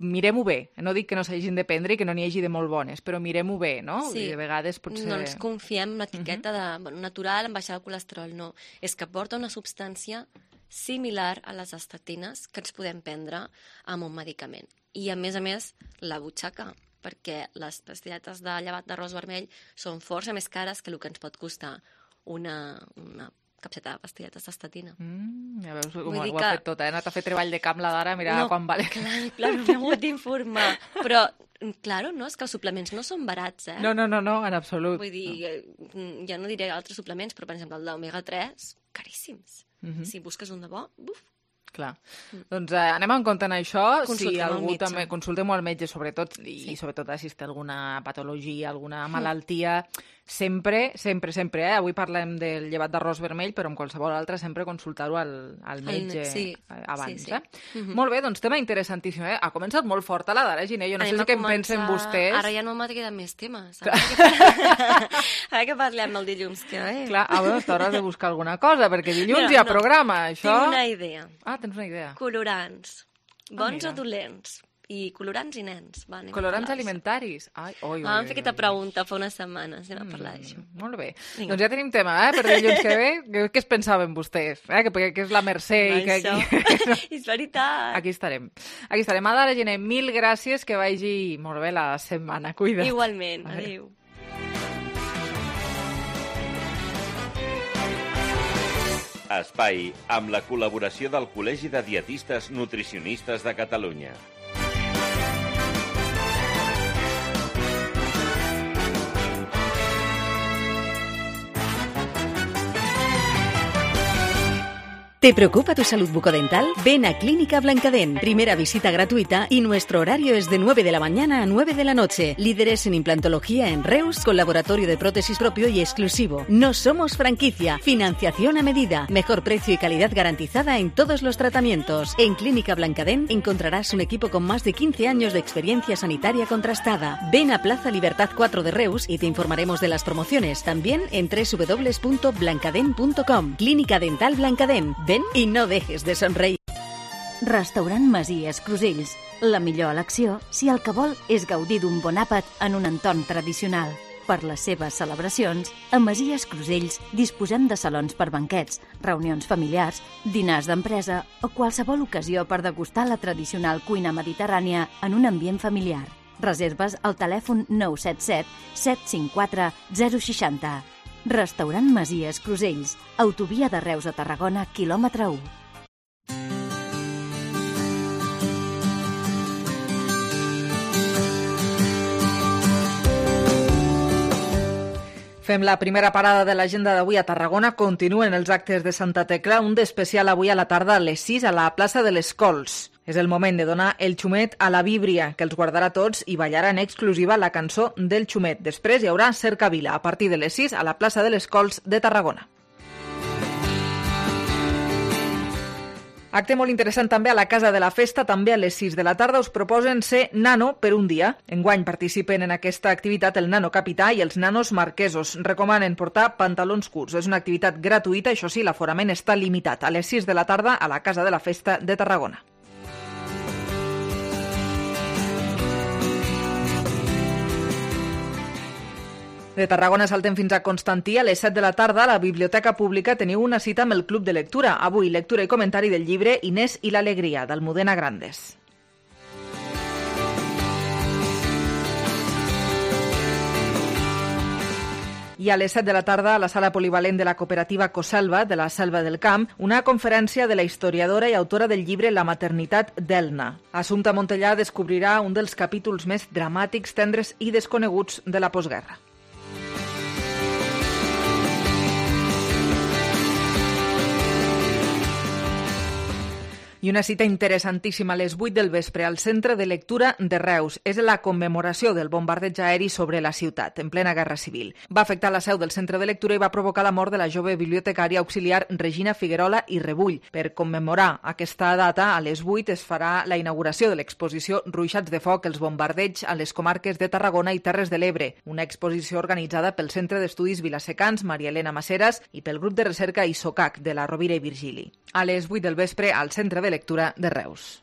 mirem-ho bé. No dic que no s'hagin de prendre i que no n'hi hagi de molt bones, però mirem-ho bé, no? Sí. I de vegades potser... No ens confiem en l'etiqueta de natural, en baixar el colesterol, no. És que porta una substància similar a les estatines que ens podem prendre amb un medicament. I, a més, la butxaca, perquè les pastilletes de llevat d'arròs vermell són força més cares que el que ens pot costar una capseta de pastilletes d'estatina. Ja veus com ho ha fet tot, He anat a fer treball de camp la d'ara, mira quan vale. Clar, no m'he hagut d'informar. Però, clar, no, és que els suplements no són barats, No, en absolut. Vull dir, ja no diré altres suplements, però, per exemple, el d'omega-3, caríssims. Si busques un de bo, buf. Clar. Doncs anem en compte en això. Si algú també consultem-ho al metge, sobretot, i sobretot si té alguna patologia, alguna malaltia, sempre, avui parlem del llevat d'arròs vermell, però amb qualsevol altre sempre consultar-ho al metge abans. Sí. Molt bé, doncs tema interessantíssim. Ha començat molt fort a la Dara Giner, jo no sé què en pensen vostès. Ara ja no m'ha quedat més temes. Ara que parlem el dilluns que ve. Clar, t'hauràs de buscar alguna cosa, perquè dilluns hi ha programa, això... Tinc una idea. Tens una idea. Colorants. Bons o dolents? I colorants i nens. Colorants alimentaris. Vam fer aquesta pregunta fa unes setmanes. Anem a parlar d'això. Molt bé. Doncs ja tenim tema, per dilluns que ve. Què es pensaven vostès? Que és la Mercè i que aquí... És veritat. Aquí estarem. Adara Giner, mil gràcies, que vagi molt bé la setmana. Cuida't. Igualment. Adéu. Espai, amb la col·laboració del Col·legi de Dietistes Nutricionistes de Catalunya. ¿Te preocupa tu salud bucodental? Ven a Clínica Blancadent. Primera visita gratuita y nuestro horario es de 9 de la mañana a 9 de la noche. Líderes en implantología en Reus, con laboratorio de prótesis propio y exclusivo. No somos franquicia. Financiación a medida. Mejor precio y calidad garantizada en todos los tratamientos. En Clínica Blancadent encontrarás un equipo con más de 15 años de experiencia sanitaria contrastada. Ven a Plaza Libertad 4 de Reus y te informaremos de las promociones. También en www.blancadent.com. Clínica Dental Blancadent. Ven i no dejes de somreir. Restaurant Masies Crusells. La millor elecció si el que vol és gaudir d'un bon àpat en un entorn tradicional. Per les seves celebracions, a Masies Crusells disposem de salons per banquets, reunions familiars, dinars d'empresa o qualsevol ocasió per degustar la tradicional cuina mediterrània en un ambient familiar. Reserves al telèfon 977 754 060. Restaurant Masies Crusells, autovia de Reus a Tarragona, quilòmetre 1. Fem la primera parada de l'agenda d'avui a Tarragona. Continuen els actes de Santa Tecla, un d'especial avui a la tarda a les 6 a la plaça de les Cols. És el moment de donar el xumet a la Víbria, que els guardarà tots i ballarà en exclusiva la cançó del xumet. Després hi haurà cercavila a partir de les 6 a la plaça de les Cols de Tarragona. Acte molt interessant també a la Casa de la Festa, també a les 6 de la tarda. Us proposen ser nano per un dia. Enguany participen en aquesta activitat el nano capità i els nanos marquesos. Recomanen portar pantalons curts. És una activitat gratuïta, això sí, l'aforament està limitat. A les 6 de la tarda a la Casa de la Festa de Tarragona. De Tarragona saltem fins a Constantí. A les 7 de la tarda a la Biblioteca Pública teniu una cita amb el Club de Lectura. Avui, lectura i comentari del llibre Inés i l'alegria, d'Almudena Grandes. I a les 7 de la tarda, a la sala polivalent de la cooperativa Coselva, de la Selva del Camp, una conferència de la historiadora i autora del llibre La maternitat d'Elna. Assumpta Montellà descobrirà un dels capítols més dramàtics, tendres i desconeguts de la postguerra. I una cita interessantíssima a les 8 del vespre al Centre de Lectura de Reus. És la commemoració del bombardeig aeri sobre la ciutat, en plena Guerra Civil. Va afectar la seu del Centre de Lectura i va provocar la mort de la jove bibliotecària auxiliar Regina Figuerola i Rebull. Per commemorar aquesta data, a les 8 es farà la inauguració de l'exposició Ruixats de foc, els bombardeigs a les comarques de Tarragona i Terres de l'Ebre, una exposició organitzada pel Centre d'Estudis Vilasecans Maria Elena Maseras i pel grup de recerca ISOCAC de la Rovira i Virgili. A les 8 del vespre al Centre de Lectura de Reus.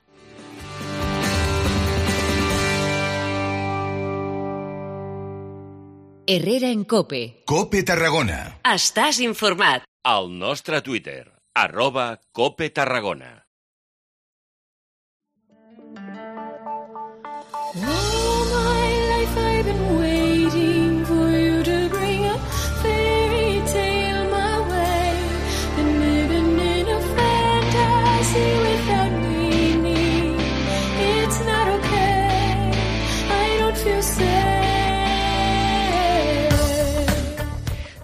Herrera en COPE. COPE Tarragona. Estàs informat. Al nostre Twitter, @COPE Tarragona.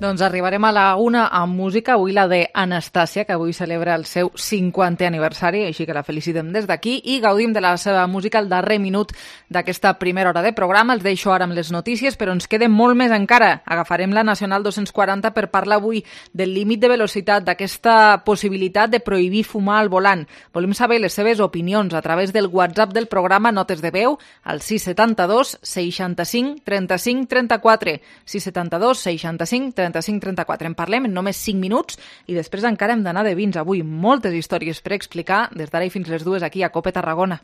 Doncs arribarem a la 1 amb música, avui la de Anastàcia, que avui celebra el seu 50è aniversari, així que la felicitem des d'aquí i gaudim de la seva música al darrer minut d'aquesta primera hora de programa. Els deixo ara amb les notícies, però ens queda molt més encara. Agafarem la Nacional 240 per parlar avui del límit de velocitat, d'aquesta possibilitat de prohibir fumar al volant. Volem saber les seves opinions a través del WhatsApp del programa Notes de Veu al 672 65 35 34. 672 65 35 34. En parlem en només 5 minuts i després encara hem d'anar de vins. Avui moltes històries per explicar des d'ara i fins les 2 aquí a Cope Tarragona.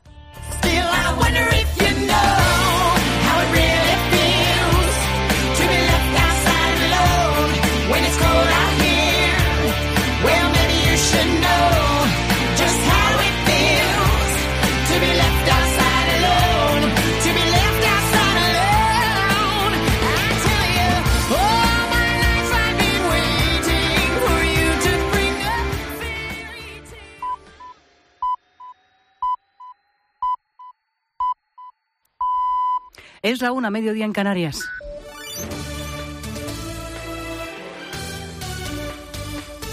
Es la 1, mediodía en Canarias.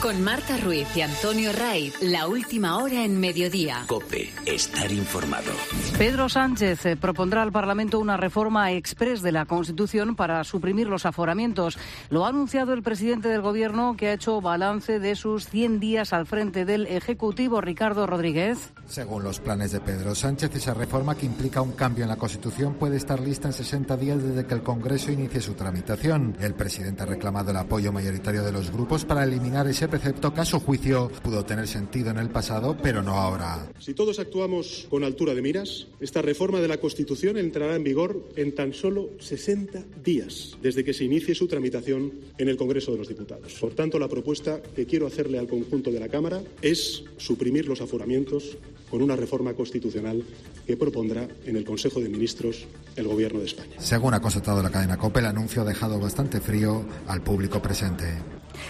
Con Marta Ruiz y Antonio Raiz, la última hora en mediodía. COPE, estar informado. Pedro Sánchez propondrá al Parlamento una reforma exprés de la Constitución para suprimir los aforamientos. Lo ha anunciado el presidente del Gobierno, que ha hecho balance de sus 100 días al frente del Ejecutivo. Ricardo Rodríguez. Según los planes de Pedro Sánchez, esa reforma, que implica un cambio en la Constitución, puede estar lista en 60 días desde que el Congreso inicie su tramitación. El presidente ha reclamado el apoyo mayoritario de los grupos para eliminar ese precepto que, a su juicio, pudo tener sentido en el pasado, pero no ahora. Si todos actuamos con altura de miras, esta reforma de la Constitución entrará en vigor en tan solo 60 días desde que se inicie su tramitación en el Congreso de los Diputados. Por tanto, la propuesta que quiero hacerle al conjunto de la Cámara es suprimir los aforamientos con una reforma constitucional que propondrá en el Consejo de Ministros el Gobierno de España. Según ha constatado la cadena COPE, el anuncio ha dejado bastante frío al público presente.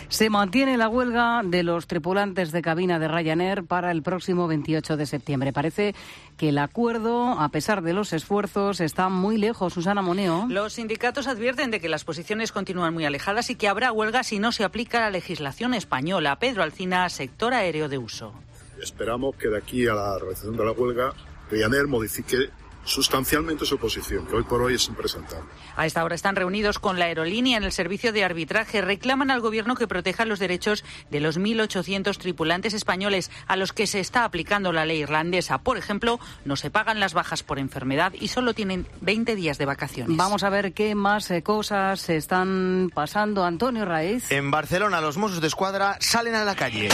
Se mantiene la huelga de los tripulantes de cabina de Ryanair para el próximo 28 de septiembre. Parece que el acuerdo, a pesar de los esfuerzos, está muy lejos. Susana Moneo. Los sindicatos advierten de que las posiciones continúan muy alejadas y que habrá huelga si no se aplica la legislación española. Pedro Alcina, sector aéreo de uso. Esperamos que de aquí a la realización de la huelga, Ryanair modifique sustancialmente su posición, que hoy por hoy es impresentable. A esta hora están reunidos con la aerolínea en el servicio de arbitraje. Reclaman al Gobierno que proteja los derechos de los 1.800 tripulantes españoles a los que se está aplicando la ley irlandesa. Por ejemplo, no se pagan las bajas por enfermedad y solo tienen 20 días de vacaciones. Vamos a ver qué más cosas se están pasando. Antonio Raiz. En Barcelona, los Mossos d'Esquadra salen a la calle.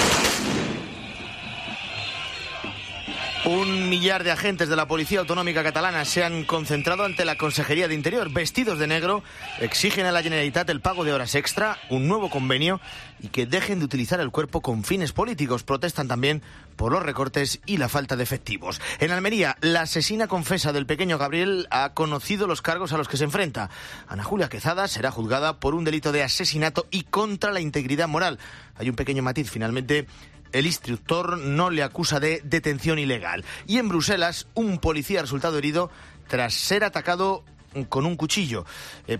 1 millar de agentes de la Policía Autonómica Catalana se han concentrado ante la Consejería de Interior. Vestidos de negro, exigen a la Generalitat el pago de horas extra, un nuevo convenio y que dejen de utilizar el cuerpo con fines políticos. Protestan también por los recortes y la falta de efectivos. En Almería, la asesina confesa del pequeño Gabriel ha conocido los cargos a los que se enfrenta. Ana Julia Quezada será juzgada por un delito de asesinato y contra la integridad moral. Hay un pequeño matiz, finalmente. El instructor no le acusa de detención ilegal. Y en Bruselas, un policía ha resultado herido tras ser atacado con un cuchillo.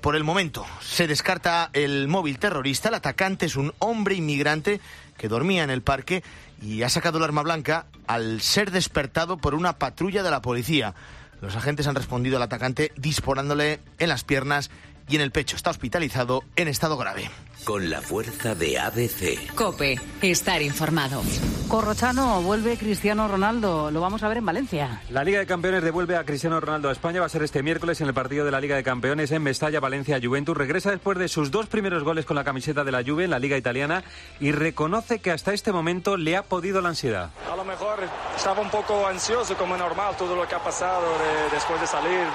Por el momento, se descarta el móvil terrorista. El atacante es un hombre inmigrante que dormía en el parque y ha sacado el arma blanca al ser despertado por una patrulla de la policía. Los agentes han respondido al atacante disparándole en las piernas y en el pecho. Está hospitalizado en estado grave. Con la fuerza de ABC. COPE, estar informado. Corrochano, vuelve Cristiano Ronaldo. Lo vamos a ver en Valencia. La Liga de Campeones devuelve a Cristiano Ronaldo a España. Va a ser este miércoles en el partido de la Liga de Campeones en Mestalla, Valencia, Juventus. Regresa después de sus 2 primeros goles con la camiseta de la Juve en la Liga italiana y reconoce que hasta este momento le ha podido la ansiedad. A lo mejor estaba un poco ansioso, como normal, todo lo que ha pasado después de salir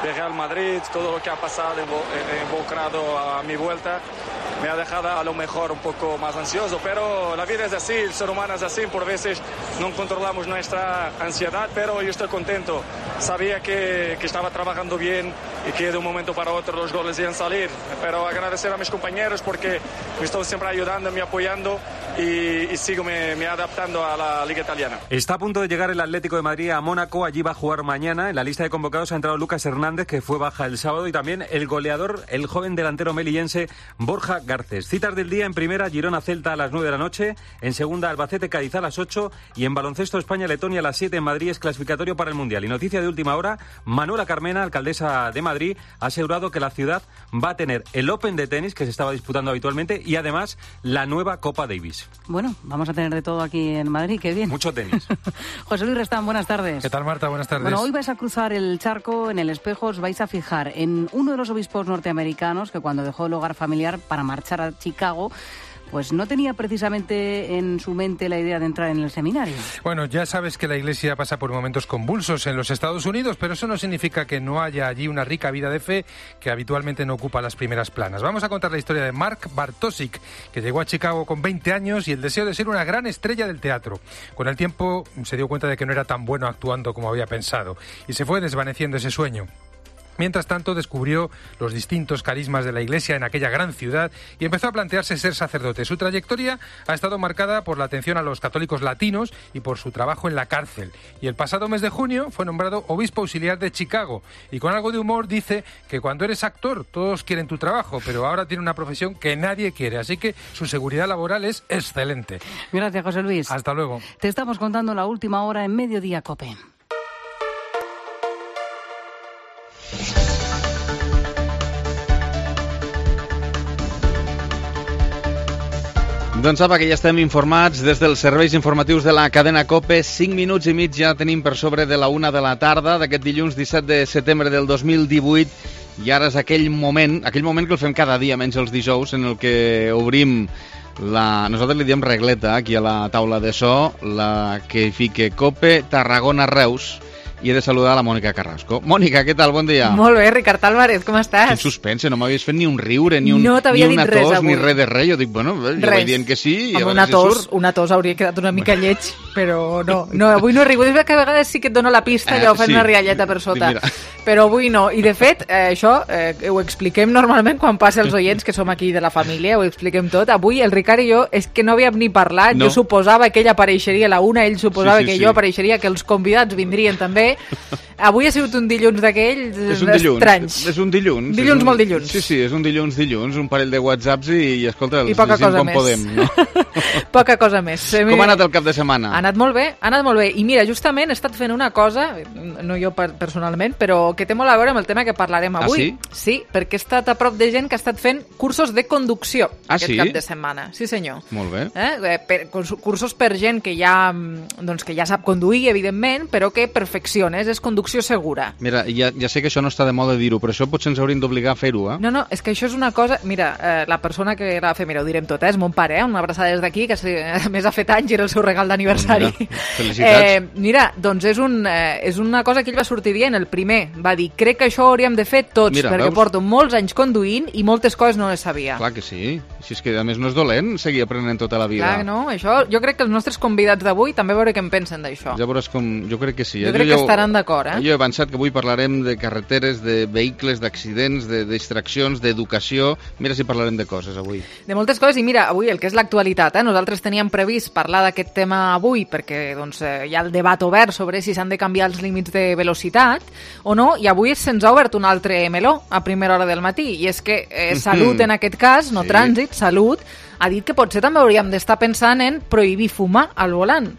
de Real Madrid, todo lo que ha pasado involucrado a mi vuelta, me ha dejado a lo mejor un poco más ansioso, pero la vida es así, el ser humano es así, por veces no controlamos nuestra ansiedad, pero yo estoy contento, sabía que estaba trabajando bien y que de un momento para otro los goles iban a salir, pero agradecer a mis compañeros porque me están siempre ayudando, me apoyando y sigo me adaptando a la Liga Italiana. Está a punto de llegar el Atlético de Madrid a Mónaco, allí va a jugar mañana. En la lista de convocados ha entrado Lucas Hernández, que fue baja el sábado, y también el goleador, el joven delantero melillense Borja Garcés. Citas del día: en primera, Girona-Celta a las 9 de la noche, en segunda, Albacete-Cádiz a las 8, y en baloncesto, España-Letonia a las 7 en Madrid, es clasificatorio para el Mundial. Y noticia de última hora: Manuela Carmena, alcaldesa de Madrid, ha asegurado que la ciudad va a tener el Open de tenis, que se estaba disputando habitualmente, y además la nueva Copa Davis. Bueno, vamos a tener de todo aquí en Madrid, qué bien. Mucho tenis. José Luis Restán, buenas tardes. ¿Qué tal, Marta? Buenas tardes. Bueno, hoy vais a cruzar el charco. En el espejo os vais a fijar en uno de los obispos norteamericanos que, cuando dejó el hogar familiar para marchar a Chicago, pues no tenía precisamente en su mente la idea de entrar en el seminario. Bueno, ya sabes que la Iglesia pasa por momentos convulsos en los Estados Unidos, pero eso no significa que no haya allí una rica vida de fe que habitualmente no ocupa las primeras planas. Vamos a contar la historia de Mark Bartosik, que llegó a Chicago con 20 años y el deseo de ser una gran estrella del teatro. Con el tiempo se dio cuenta de que no era tan bueno actuando como había pensado y se fue desvaneciendo ese sueño. Mientras tanto, descubrió los distintos carismas de la Iglesia en aquella gran ciudad y empezó a plantearse ser sacerdote. Su trayectoria ha estado marcada por la atención a los católicos latinos y por su trabajo en la cárcel. Y el pasado mes de junio fue nombrado obispo auxiliar de Chicago. Y con algo de humor dice que cuando eres actor todos quieren tu trabajo, pero ahora tiene una profesión que nadie quiere. Así que su seguridad laboral es excelente. Gracias, José Luis. Hasta luego. Te estamos contando la última hora en Mediodía COPE. Doncs apa, que ja estem informats des dels serveis informatius de la cadena COPE. 5 minuts i mig ja tenim per sobre de la 1 de la tarda d'aquest dilluns 17 de setembre del 2018, i ara és aquell moment que el fem cada dia, menys els dijous, en el que obrim nosaltres li diem regleta aquí a la taula de so, la que fique COPE Tarragona Reus, i he de saludar a la Mònica Carrasco. Mònica, què tal? Bon dia. Molt bé, Ricard Álvarez, com estàs? Quin suspense, no m'havies fet ni un riure, ni una tos, ni res de res. Jo dic, bueno, jo vaig dient que sí, i a veure si surt. Una tos hauria quedat una mica lleig, però no, avui no he rigut. És que a vegades sí que et dono la pista i ho fem una rialleta per sota. Però avui no. I de fet, això ho expliquem normalment quan passa els oients, que som aquí de la família, ho expliquem tot. Avui el Ricard i jo és que no havíem ni parlat. Jo suposava que ell apareixeria a la 1, ell suposava que jo apareixeria, que els convidats vindrien també. Avui ha sigut un dilluns d'aquells estranys. És un dilluns. Dilluns molt dilluns. Sí, és un dilluns, un parell de whatsapps i escolta, els llegim com podem. No? Poca cosa més. Com ha anat el cap de setmana? Ha anat molt bé. I mira, justament he estat fent una cosa, no jo personalment, però que té molt a veure amb el tema que parlarem avui. Ah, sí? Sí, perquè he estat a prop de gent que ha estat fent cursos de conducció aquest cap de setmana. Sí, senyor. Molt bé. Cursos per gent que ja sap conduir, evidentment, però que perfecciona, és conducció segura. Mira, ja sé que això no està de moda dir-ho, però això potser ens hauríem d'obligar a fer-ho, eh? No, és que això és una cosa... Mira, la persona que la va fer, mira, ho direm tot, és mon pare, una abraçada des d'aquí, que a més ha fet anys i era el seu regal d'aniversari. Felicitats. Mira, doncs és una cosa que ell va sortir dient. El primer va dir, crec que això ho hauríem de fer tots, perquè porto molts anys conduint i moltes coses no les sabia. Clar que sí. Si és que a més no és dolent seguir aprenent tota la vida. Clar, no, això... Jo crec que els nostres convidats d'avui també veure què en pensen d'això. Ja veuràs com... Jo crec que sí. Jo crec que estaran d'acord, eh? Jo he avançat que avui parlarem de carreteres, de vehicles, d'accidents, de distraccions, d'educació. Mira si parlarem de coses avui. De moltes coses, i mira, avui el que és l'actualitat, Nosaltres teníem previst parlar d'aquest tema avui perquè hi ha el debat obert sobre si s'han de canviar els límits de velocitat o no, i avui se'ns ha obert un altre meló a primera hora del matí, i és que Salut, en aquest cas, no Trànsit, Salut, ha dit que potser també hauríem d'estar pensant en prohibir fumar al volant.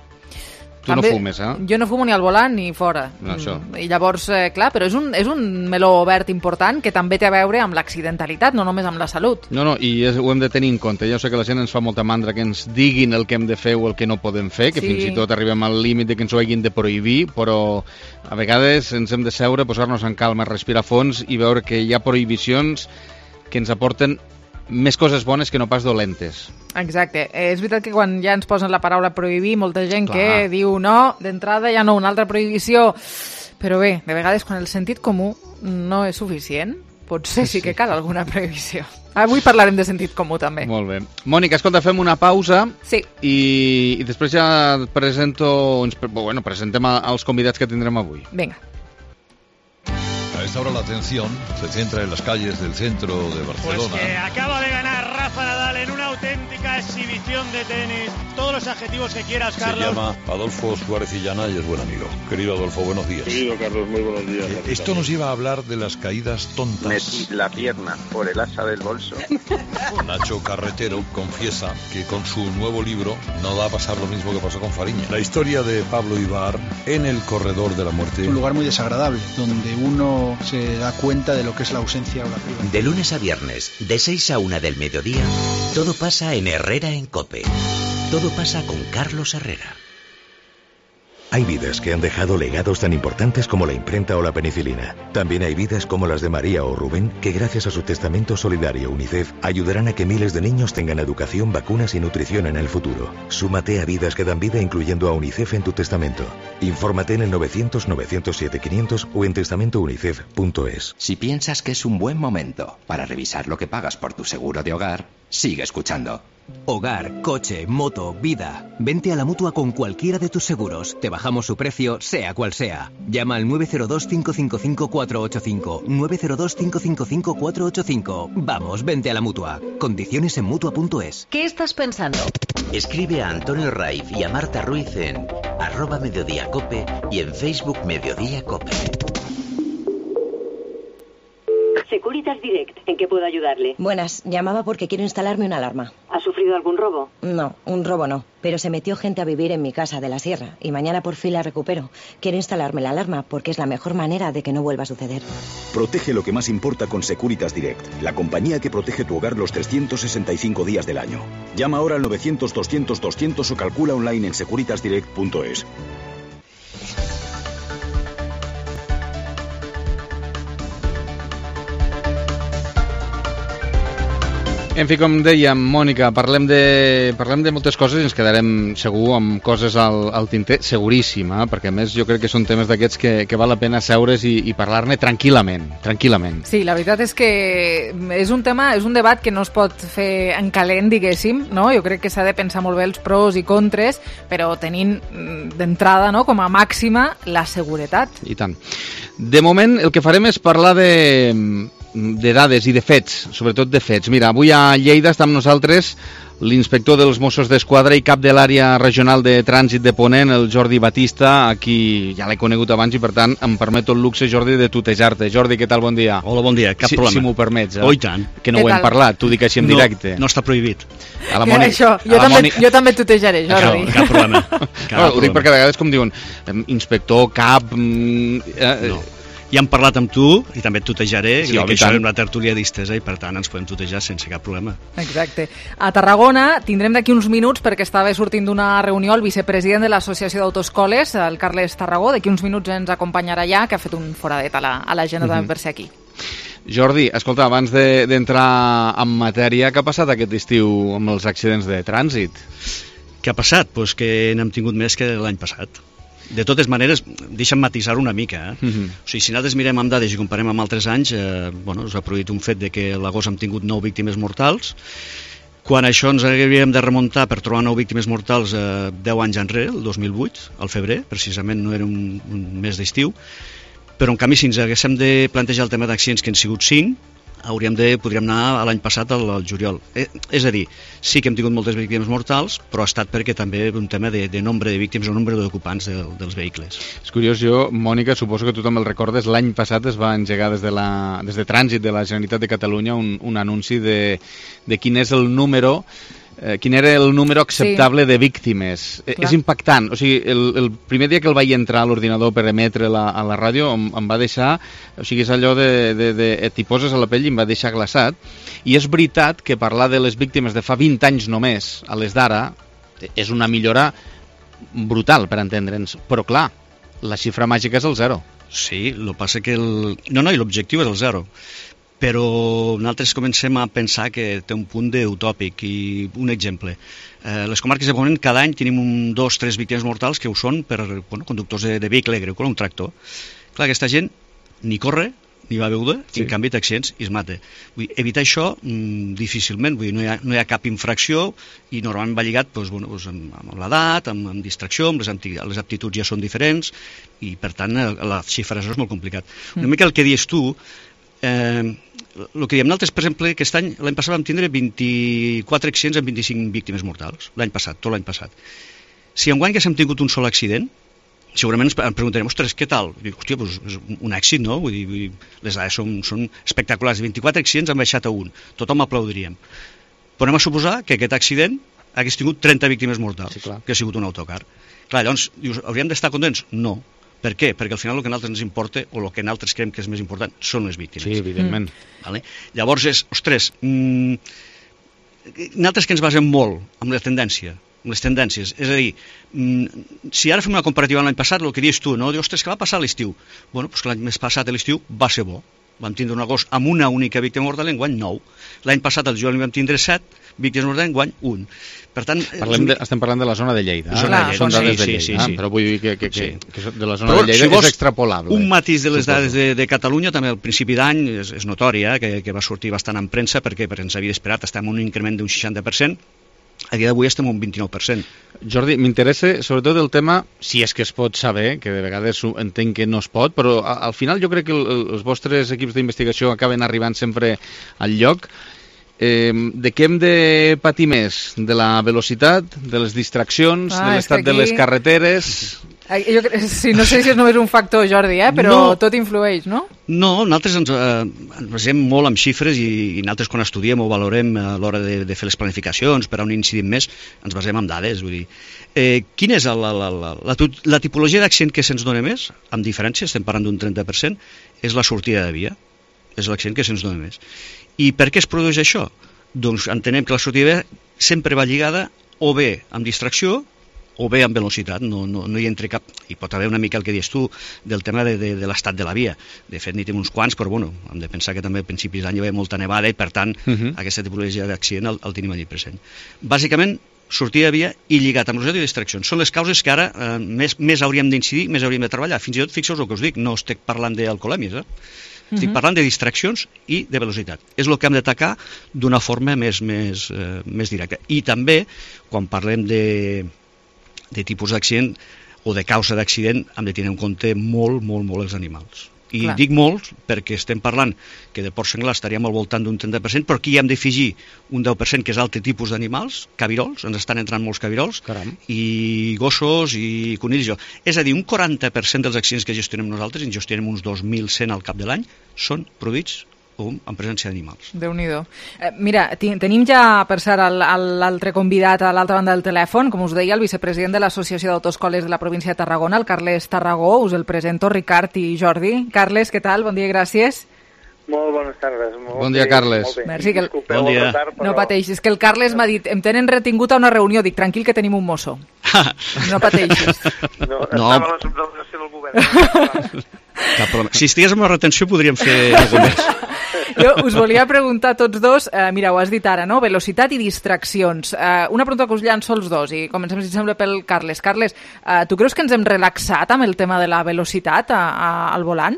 Tu també, no fumes, eh? Jo no fumo ni al volant ni fora. No, això. I llavors, clar, però és un meló obert important que també té a veure amb l'accidentalitat, no només amb la salut. No, i ho hem de tenir en compte. Jo sé que la gent ens fa molta mandra que ens diguin el que hem de fer o el que no podem fer, que fins i tot arribem al límit de que ens ho hagin de prohibir, però a vegades ens hem de seure, posar-nos en calma, respirar fons i veure que hi ha prohibicions que ens aporten més coses bones que no pas dolentes. Exacte. És veritat que quan ja ens posen la paraula prohibir, molta gent que diu no, d'entrada ja no, una altra prohibició. Però bé, de vegades quan el sentit comú no és suficient, potser sí que cal alguna prohibició. Avui parlarem de sentit comú també. Molt bé. Mònica, escolta, fem una pausa i després ja presentem els convidats que tindrem avui. Vinga. A esta hora la atención se centra en las calles del centro de Barcelona. Pues que acaba de ganar Rafa Nadal en una auténtica una exhibición de tenis, todos los adjetivos que quieras, Carlos. Se llama Adolfo Suárez Illana y es buen amigo. Querido Adolfo, buenos días. Querido Carlos, muy buenos días. Esto nos lleva a hablar de las caídas tontas. Metí la pierna por el asa del bolso. Nacho Carretero confiesa que con su nuevo libro no va a pasar lo mismo que pasó con Fariña. La historia de Pablo Ibar en el corredor de la muerte. Un lugar muy desagradable, donde uno se da cuenta de lo que es la ausencia o la privacidad. De lunes a viernes, de 6 a 1 del mediodía, todo pasa en Herrera en COPE. Todo pasa con Carlos Herrera. Hay vidas que han dejado legados tan importantes como la imprenta o la penicilina. También hay vidas como las de María o Rubén, que gracias a su testamento solidario UNICEF ayudarán a que miles de niños tengan educación, vacunas y nutrición en el futuro. Súmate a Vidas que dan vida incluyendo a UNICEF en tu testamento. Infórmate en el 900-907-500 o en testamentounicef.es. Si piensas que es un buen momento para revisar lo que pagas por tu seguro de hogar, sigue escuchando. Hogar, coche, moto, vida. Vente a la Mutua con cualquiera de tus seguros. Te bajamos su precio, sea cual sea. Llama al 902-555-485. 902-555-485. Vamos, vente a la Mutua. Condiciones en Mutua.es. ¿Qué estás pensando? Escribe a Antonio Raiz y a Marta Ruiz en @mediodíacope y en Facebook Mediodía Cope. Securitas Direct, ¿en qué puedo ayudarle? Buenas, llamaba porque quiero instalarme una alarma. ¿Ha sufrido algún robo? No, un robo no, pero se metió gente a vivir en mi casa de la sierra y mañana por fin la recupero. Quiero instalarme la alarma porque es la mejor manera de que no vuelva a suceder. Protege lo que más importa con Securitas Direct, la compañía que protege tu hogar los 365 días del año. Llama ahora al 900-200-200 o calcula online en securitasdirect.es. En fi, com dèiem, Mònica, parlem de moltes coses i ens quedarem segur amb coses al tinter, seguríssim, perquè a més jo crec que són temes d'aquests que val la pena seure's i parlar-ne tranquil·lament. Sí, la veritat és que és un tema, és un debat que no es pot fer en calent, diguéssim, no? Jo crec que s'ha de pensar molt bé els pros i contres, però tenint d'entrada, no, com a màxima la seguretat. I tant. De moment el que farem és parlar de dades i de fets, sobretot de fets. Mira, avui a Lleida està amb nosaltres l'inspector dels Mossos d'Esquadra i cap de l'àrea regional de trànsit de Ponent, el Jordi Batista, a qui ja l'he conegut abans i per tant em permeto el luxe, Jordi, de tutejar-te. Jordi, què tal? Bon dia. Hola, bon dia, cap problema. Si m'ho permets. Oh, i tant. Que no ho hem parlat, t'ho dic així en directe. No està prohibit. A la Mònica, això, jo també tutejaré, Jordi. Cap problema. Ho dic perquè de vegades com diuen inspector, cap... No. Ja hem parlat amb tu i també et tutejaré, sí, que això és una tertúlia distesa i per tant ens podem tutejar sense cap problema. Exacte. A Tarragona tindrem d'aquí uns minuts, perquè estava sortint d'una reunió el vicepresident de l'Associació d'Autoescoles, el Carles Tarragó, d'aquí uns minuts ens acompanyarà ja, que ha fet un foradet a l'agenda també per ser aquí. Jordi, escolta, abans d'entrar en matèria, què ha passat aquest estiu amb els accidents de trànsit? Què ha passat? Doncs que n'hem tingut més que l'any passat. De totes maneres, deixa'm matisar una mica. O sigui, si nosaltres mirem amb dades i comparem amb altres anys, s'ha produït un fet de que a l'agost hem tingut 9 víctimes mortals, quan això ens hauríem de remuntar per trobar 9 víctimes mortals 10 anys enrere, el 2008, al febrer, precisament no era un mes d'estiu, però en canvi si ens haguéssim de plantejar el tema d'accidents que han sigut 5, podríem anar a l'any passat al juliol. És a dir, sí que hem tingut moltes víctimes mortals, però ha estat perquè també un tema de nombre de víctimes o nombre d'ocupants dels vehicles. És curiós, jo, Mònica, suposo que tu també el recordes, l'any passat es va engegar des de Trànsit de la Generalitat de Catalunya un anunci de quin és el número quin era el número acceptable de víctimes. És impactant. O sigui, el primer dia que el vaig entrar a l'ordinador per emetre a la ràdio em va deixar, o sigui, és allò t'hi poses a la pell i em va deixar glaçat. I és veritat que parlar de les víctimes de fa 20 anys només a les d'ara és una millora brutal, per entendre'ns. Però clar, la xifra màgica és el 0. Sí, el que passa que i l'objectiu és el 0. Però nosaltres comencem a pensar que té un punt d'utòpic. I un exemple, les comarques de Ponent cada any tenim 2 o 3 víctimes mortals que ho són per conductors de vehicle agrícola, un tractor. Clar, aquesta gent ni corre ni va beure, i en canvi té accidents i es mata. Vull dir, evitar això difícilment, vull dir, no hi ha cap infracció i normalment va lligat amb l'edat, amb distracció, amb les aptituds ja són diferents i per tant la xifra és molt complicat. Una mica el que dius tu, el que diem nosaltres, per exemple, aquest any, l'any passat vam tindre 24 accidents amb 25 víctimes mortals, l'any passat, tot l'any passat. Si enguany que hem tingut un sol accident, segurament ens preguntarem, ostres, què tal? Dic, hòstia, doncs és un èxit, no? Vull dir, les dades són espectaculars. 24 accidents han baixat a 1, tothom aplaudiríem. Però anem a suposar que aquest accident hagués tingut 30 víctimes mortals, que ha sigut un autocar. Clar, llavors, dius, hauríem d'estar contents? No. Per què? Perquè al final el que a nosaltres ens importa, o el que nosaltres creiem que és més important, són les víctimes. Sí, evidentment. Vale? Llavors ostres, nosaltres que ens basem molt en la tendència, amb les tendències, és a dir, si ara fem una comparativa amb l'any passat, el que dius tu, no? Dius, ostres, què va passar a l'estiu? Bueno, doncs que l'any més passat a l'estiu va ser bo. Vam tindre un agost amb una única víctima mortal, enguany 9. L'any passat al juliol vam tindre 7 víctimes mortals, enguany 1. Per tant, estem parlant de la zona de Lleida. Són dades de Lleida, sí. Però vull dir que de la zona de Lleida és extrapolable. Un matís de les dades de Catalunya, també al principi d'any, és notòria, que va sortir bastant en premsa, perquè ens havia esperat, estem en un increment d'un 60%, a dia d'avui estem un 29%. Jordi, m'interessa sobretot el tema, si és que es pot saber, que de vegades entenc que no es pot, però al final jo crec que els vostres equips d'investigació acaben arribant sempre al lloc. De què hem de patir més? De la velocitat, de les distraccions, de l'estat de les carreteres? No sé si és només un factor, Jordi, però tot influeix, no? No, nosaltres ens basem molt en xifres i nosaltres quan estudiem o valorem a l'hora de fer les planificacions per a on incidim més, ens basem en dades. Vull dir, quina és la tipologia d'accident que se'ns dona més, amb diferència, estem parlant d'un 30%, és la sortida de via. És l'accident que se'ns dona més. I per què es produeix això? Doncs entenem que la sortida de via sempre va lligada o bé amb distracció o bé amb velocitat, no hi entra cap... Hi pot haver una mica el que dius tu del tema de l'estat de la via. De fet, n'hi tenim uns quants, però bueno, hem de pensar que també a principis d'any hi va haver molta nevada i per tant aquesta tipologia d'accident el tenim allí present. Bàsicament, sortida de via i lligat amb velocitat i distraccions. Són les causes que ara més hauríem d'incidir, més hauríem de treballar. Fins i tot, fixeu-vos el que us dic, no estic parlant d'alcoholèmies, estic parlant de distraccions i de velocitat. És el que hem d'atacar d'una forma més directa. I també, quan parlem de tipus d'accident o de causa d'accident, hem de tenir en compte molt els animals. I dic molts perquè estem parlant que de porc senglar estaríem al voltant d'un 30%, però aquí hi hem d'afegir un 10% que és altre tipus d'animals, cabirols, ens estan entrant molts cabirols, i gossos i conills. És a dir, un 40% dels accidents que gestionem nosaltres, en gestionem uns 2.100 al cap de l'any, són produïts en presència d'animals. Déu-n'hi-do. Mira, tenim ja, per cert, l'altre convidat a l'altra banda del telèfon, com us deia, el vicepresident de l'Associació d'Autoescoles de la província de Tarragona, el Carles Tarragó. Us el presento, Ricard i Jordi. Carles, què tal? Bon dia i gràcies. Molt bones tardes. Bon dia, Carles. Merci. Bon dia. No pateixis, que el Carles m'ha dit, em tenen retingut a una reunió. Dic, tranquil, que tenim un mosso. No pateixis. No, estava a la subdelegació del govern. Cap problema. Si estigués amb la retenció podríem fer alguna més. Jo us volia preguntar a tots dos, mira, ho has dit ara, no? Velocitat i distraccions. Una pregunta que us llanço els dos i comencem, si sembla, pel Carles. Carles, tu creus que ens hem relaxat amb el tema de la velocitat al volant?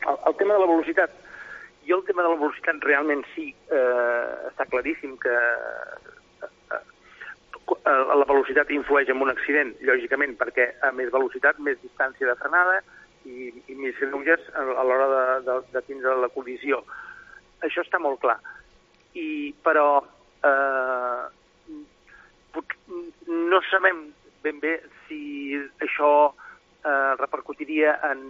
El tema de la velocitat, el tema de la velocitat realment sí, està claríssim que la velocitat influeix en un accident, lògicament, perquè a més velocitat, més distància de frenada i més greuges a l'hora de tindre la col·lisió. Això està molt clar. Però no sabem ben bé si això repercutiria en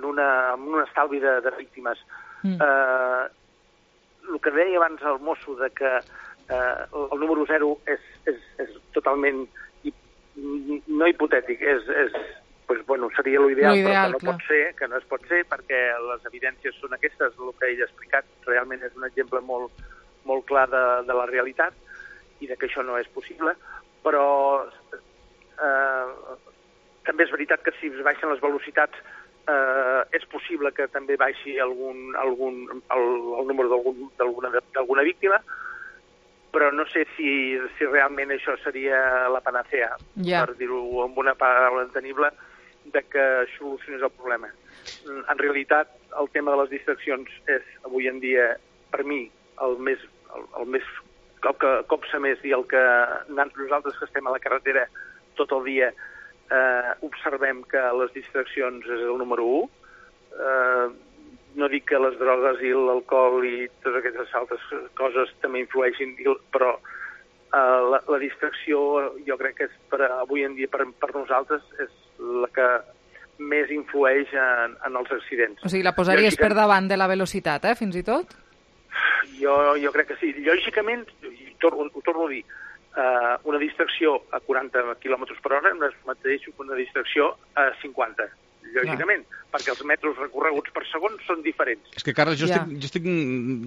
un estalvi de víctimes. El que deia abans el mosso de que el número 0 és totalment no hipotètic, seria l'ideal, però que no es pot ser perquè les evidències són aquestes, el que ell ha explicat realment és un exemple molt clar de la realitat i de que això no és possible, però també és veritat que si es baixen les velocitats és possible que també baixi el número d'alguna víctima, però no sé si realment això seria la panacea, per dir-ho amb una paraula entenible, de que solucionés el problema. En realitat, el tema de les distraccions és, avui en dia, per mi, el que copsa més i el que nosaltres que estem a la carretera tot el dia observem que les distraccions és el número 1. no dic que les drogues i l'alcohol i totes aquestes altres coses també influeixin, però la distracció jo crec que és avui en dia per nosaltres és la que més influeix en els accidents. O sigui, la posaries per davant de la velocitat, fins i tot? Jo crec que sí. Lògicament, ho torno a dir, una distracció a 40 km per hora no és el mateix que una distracció a 50, lògicament, perquè els metres recorreguts per segon són diferents. És que, Carles, jo estic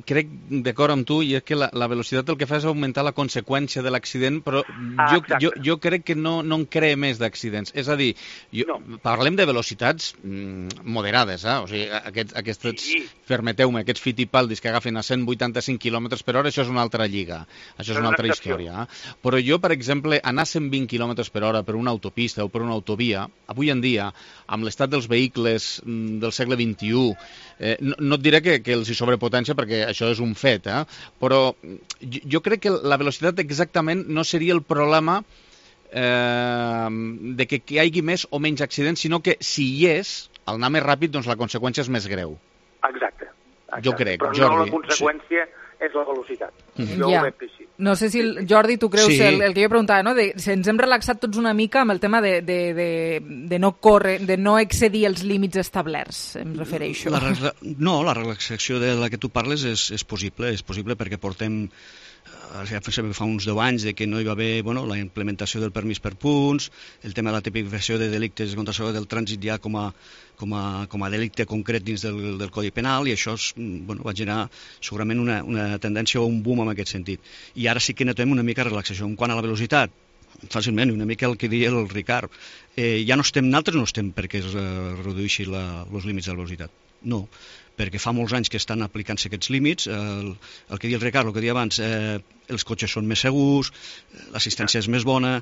crec d'acord amb tu, i és que la velocitat el que fa és augmentar la conseqüència de l'accident, però jo crec que no en crea més d'accidents. És a dir, parlem de velocitats moderades, o sigui, aquests, permeteu-me, aquests fitipaldis que agafen a 185 km per hora, això és una altra lliga, això és una altra història. Però jo, per exemple, anar a 120 km per hora per una autopista o per una autovia, avui en dia, amb l'estat dels vehicles del segle XXI, no et diré que els hi sobrepotència perquè això és un fet, però jo crec que la velocitat exactament no seria el problema de que hi hagi més o menys accidents, sinó que si hi és, al anar més ràpid, doncs la conseqüència és més greu. Exacte. Jo crec, però Jordi. No la conseqüència és la velocitat. Jo ho veig així. No sé si, Jordi, tu creus el que jo preguntava, no? Si ens hem relaxat tots una mica amb el tema de no córrer, de no excedir els límits establerts, em refereixo. No, la relaxació de la que tu parles és possible perquè portem fa uns 10 anys de que no hi va haver la implementació del permís per punts, el tema de la tipificació de delictes contra la seguretat del trànsit ja com a delicte concret dins del Codi Penal, i això va generar segurament una tendència o un boom en aquest sentit. I ara sí que notem una mica de relaxació. En quant a la velocitat, fàcilment, una mica el que diria el Ricard, nosaltres no estem perquè es redueixi els límits de la velocitat. No, perquè fa molts anys que estan aplicant-se aquests límits, el que deia el Ricard, el que deia abans, els cotxes són més segurs, l'assistència és més bona,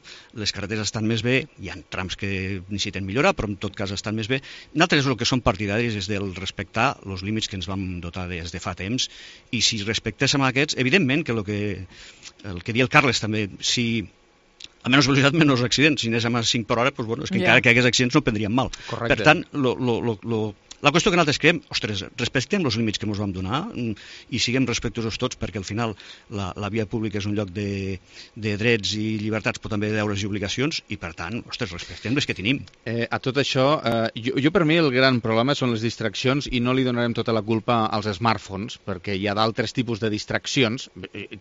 les carreteres estan més bé, hi ha trams que necessiten millorar, però en tot cas estan més bé. Nosaltres el que som partidaris és del respectar els límits que ens vam dotar des de fa temps, i si respectéssim aquests, evidentment que el que deia el Carles també, si a menys velocitat, menys accidents. Si anéssim a 5 per hora, és que encara que hi hagués accidents no prendríem mal. Correcte. Per tant, la qüestió que nosaltres creiem, respectem els límits que ens vam donar i siguem respectuosos tots, perquè al final la via pública és un lloc de drets i llibertats, però també de deures i obligacions, i per tant, respectem les que tenim. A tot això, jo per mi el gran problema són les distraccions, i no li donarem tota la culpa als smartphones, perquè hi ha d'altres tipus de distraccions,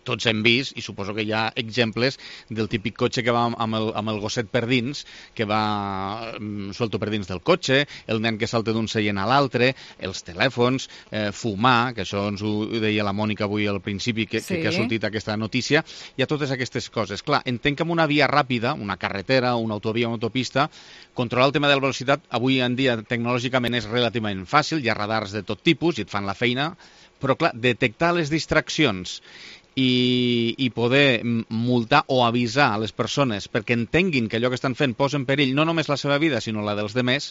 tots hem vist, i suposo que hi ha exemples del típic cotxe que va amb el gosset per dins, que va suelto per dins del cotxe, el nen que salta d'un seient a l'altre, els telèfons, fumar, que això ens ho deia la Mònica avui al principi, que ha sortit aquesta notícia. Hi ha totes aquestes coses. Clar, entenc que amb una via ràpida, una carretera, una autovia, una autopista, controlar el tema de la velocitat avui en dia tecnològicament és relativament fàcil, hi ha radars de tot tipus i et fan la feina, però clar, detectar les distraccions i poder multar o avisar a les persones perquè entenguin que allò que estan fent posa en perill no només la seva vida, sinó la dels demés,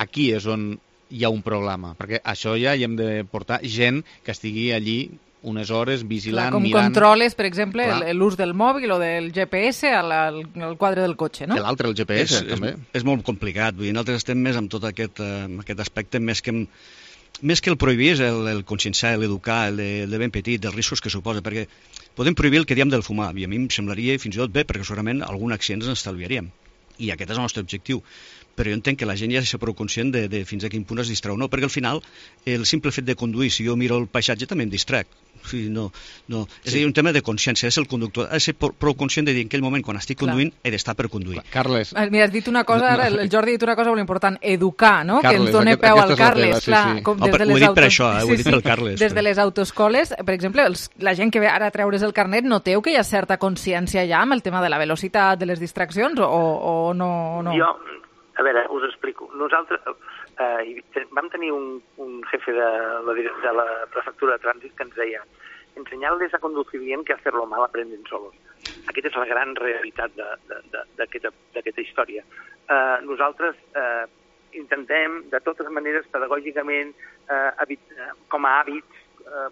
aquí és on hi ha un problema, perquè això ja hi hem de portar gent que estigui allí unes hores vigilant, com mirant... controles, per exemple, l'ús del mòbil o del GPS al quadre del cotxe, no? L'altre, el GPS, també. És molt complicat, vull dir, nosaltres estem més amb tot aquest aspecte, més que el prohibir és el conscienciar, l'educar, el de ben petit, dels riscos que suposa, perquè podem prohibir el que diem del fumar, i a mi em semblaria fins i tot bé, perquè segurament algun accident ens estalviaríem, i aquest és el nostre objectiu. Però jo entenc que la gent ja és prou conscient de fins a quin punt es distreu. No, perquè al final el simple fet de conduir, si jo miro el paisatge també em distrec. És a dir, un tema de consciència, és el conductor, ha de ser prou conscient de dir en aquell moment, quan estic conduint, he d'estar per conduir. Carles. Mira, has dit una cosa, ara el Jordi ha dit una cosa molt important, educar, no? Carles, que ens doni peu al Carles. Ho he dit per això, ho he dit pel Carles. Des de les autoescoles, per exemple, la gent que ve ara a treure's el carnet, noteu que hi ha certa consciència ja amb el tema de la velocitat, de les distraccions, o no? Jo, a veure, us explico. Nosaltres vam tenir un jefe de la prefectura de trànsit que ens deia: enseñarles a conducir bien que hacerlo mal aprenden solos. Aquesta és la gran realitat d'aquesta història. Nosaltres intentem, de totes maneres, pedagògicament, com a hàbits,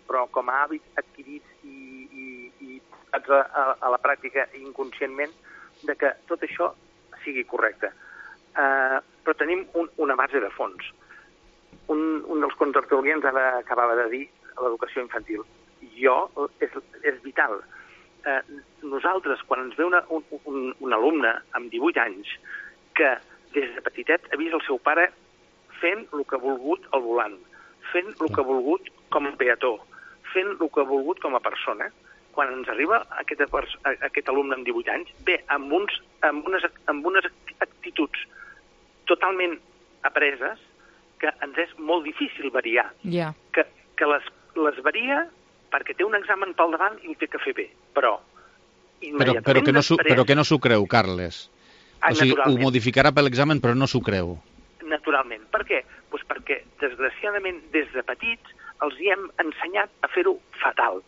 però com a hàbits adquirits i a la pràctica inconscientment, de que tot això sigui correcte. Però tenim una base de fons. un dels contertulians ara acabava de dir l'educació infantil. És vital. Nosaltres, quan ens ve un alumne amb 18 anys que des de petitet ha vist el seu pare fent el que ha volgut al volant, fent el que ha volgut com a peató, fent el que ha volgut com a persona, quan ens arriba aquest alumne amb 18 anys, ve amb unes actituds totalment apreses que ens és molt difícil variar. Que les varia perquè té un examen pel davant i ho té que fer bé, però que no s'ho creu, Carles. O sigui, ho modificarà per l'examen, però no s'ho creu. Naturalment. Per què? Doncs perquè, desgraciadament, des de petits els hi hem ensenyat a fer-ho fatal.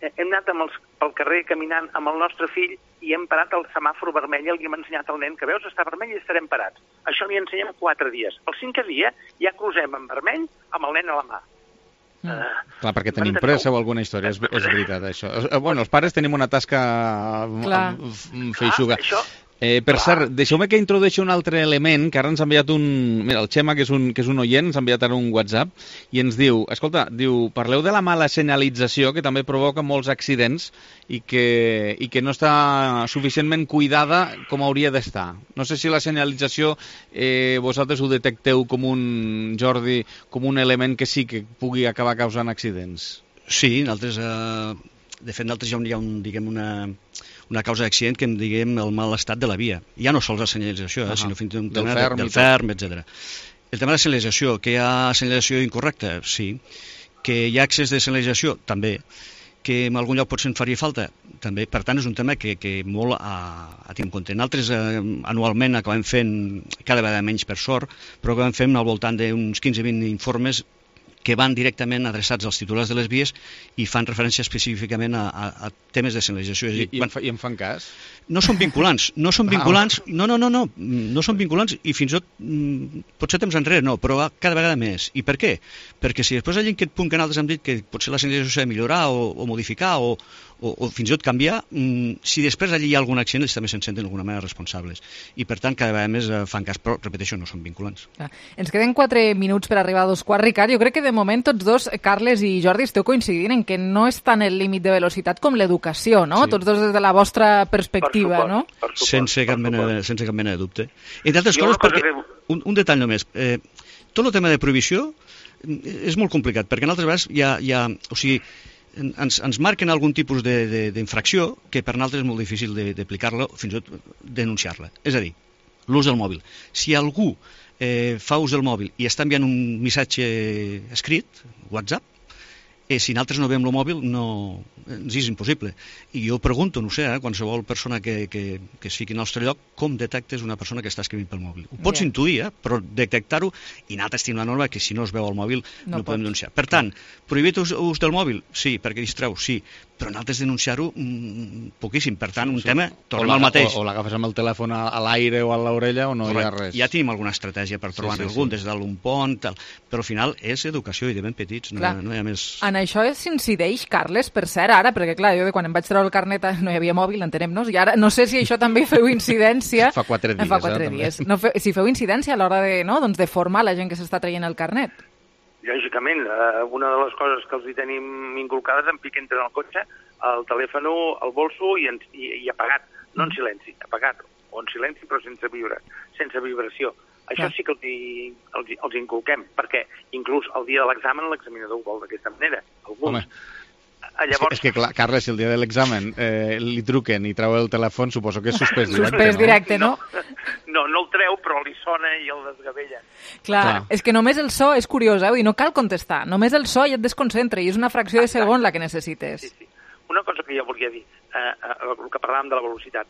Hem anat pel carrer caminant amb el nostre fill i hem parat al semàfor vermell i li hem ensenyat al nen que veus, està vermell i estarem parats. Això li ensenyem 4 dies. El 5è dia ja crucem en vermell amb el nen a la mà. Clar, perquè tenim pressa o alguna història, és veritat, això. Bueno, els pares tenim una tasca feixuga. Per cert, deixeu-me que introdueixi un altre element, que ara ens ha enviat Mira, el Xema, que és un oient, ens ha enviat ara un WhatsApp, i ens diu, escolta, parleu de la mala senyalització, que també provoca molts accidents, i que no està suficientment cuidada com hauria d'estar. No sé si la senyalització vosaltres ho detecteu com Jordi, com un element que sí que pugui acabar causant accidents. Sí, nosaltres, de fet, nosaltres hi ha una causa d'accident que en diguem el mal estat de la via. Ja no sols la senyalització, sinó fins i tot del ferm, etc. El tema de la senyalització, que hi ha senyalització incorrecta? Sí. Que hi ha excés de senyalització? També. Que en algun lloc potser en faria falta? També. Per tant, és un tema que molt a tenir en compte. Nosaltres anualment acabem fent, cada vegada menys per sort, però acabem fent al voltant d'uns 15-20 informes que van directament adreçats als titulars de les vies i fan referència específicament a temes de senyalització. I en fan cas? No són vinculants, no són vinculants i fins i tot, potser temps enrere no, però cada vegada més. I per què? Perquè si després hi ha aquest punt que nosaltres hem dit que potser la senyalització s'ha de millorar o modificar o fins i tot canviar, si després allí hi ha algun accident, ells també se'n senten d'alguna manera responsables. I per tant, cada vegada més fan cas, però, repeteixo, no són vinculants. Ens queden 4 minuts per arribar a 2:15. Ricard, jo crec que de moment tots dos, Carles i Jordi, esteu coincidint en que no és tant el límit de velocitat com l'educació, no? Sí. Tots dos des de la vostra perspectiva, no? Sense cap mena de dubte. Entre altres coses, perquè, un detall només, tot el tema de prohibició és molt complicat, perquè en altres vegades hi ha o sigui, ens marquen algun tipus d'infracció que per nosaltres és molt difícil d'aplicar-la o fins i tot denunciar-la. És a dir, l'ús del mòbil. Si algú fa ús del mòbil i està enviant un missatge escrit, WhatsApp, si nosaltres no veiem el mòbil ens és impossible. I jo pregunto, no sé, qualsevol persona que es fiqui al nostre lloc, com detectes una persona que està escrivint pel mòbil? Ho pots intuir, però detectar-ho, i nosaltres tenim la norma que si no es veu el mòbil no podem denunciar. Per tant, prohibit ús del mòbil? Sí, perquè distreu, sí, però nosaltres denunciar-ho poquíssim. Per tant, un tema, tornem al mateix. O l'agafes amb el telèfon a l'aire o a l'orella o no hi ha res. Ja tenim alguna estratègia per trobar algun, des d'un pont, però al final és educació i de ben petits, no hi ha més... En això s'incideix, Carles, per cert, ara, perquè clar, jo quan em vaig treure el carnet no hi havia mòbil, entenem-nos, i ara no sé si això també feu incidència... Fa 4 dies. Fa 4 dies. No, si feu incidència a l'hora de formar la gent que s'està traient el carnet. Lògicament, una de les coses que els hi tenim inculcades en pic entre el cotxe, el telèfon al bolso i apagat, no en silenci, apagat, o en silenci però sense vibració. Això sí que els inculquem, perquè inclús el dia de l'examen l'examinador ho vol d'aquesta manera. Alguns. Llavors... És que clar, Carles, si el dia de l'examen li truquen i treu el telèfon, suposo que és suspès directe, suspès directe, no? No el treu, però li sona i el desgavella. Clar, és que només el so és curiós, i no cal contestar. Només el so ja et desconcentra i és una fracció de segon la que necessites. Sí. Una cosa que jo volia dir, el que parlàvem de la velocitat,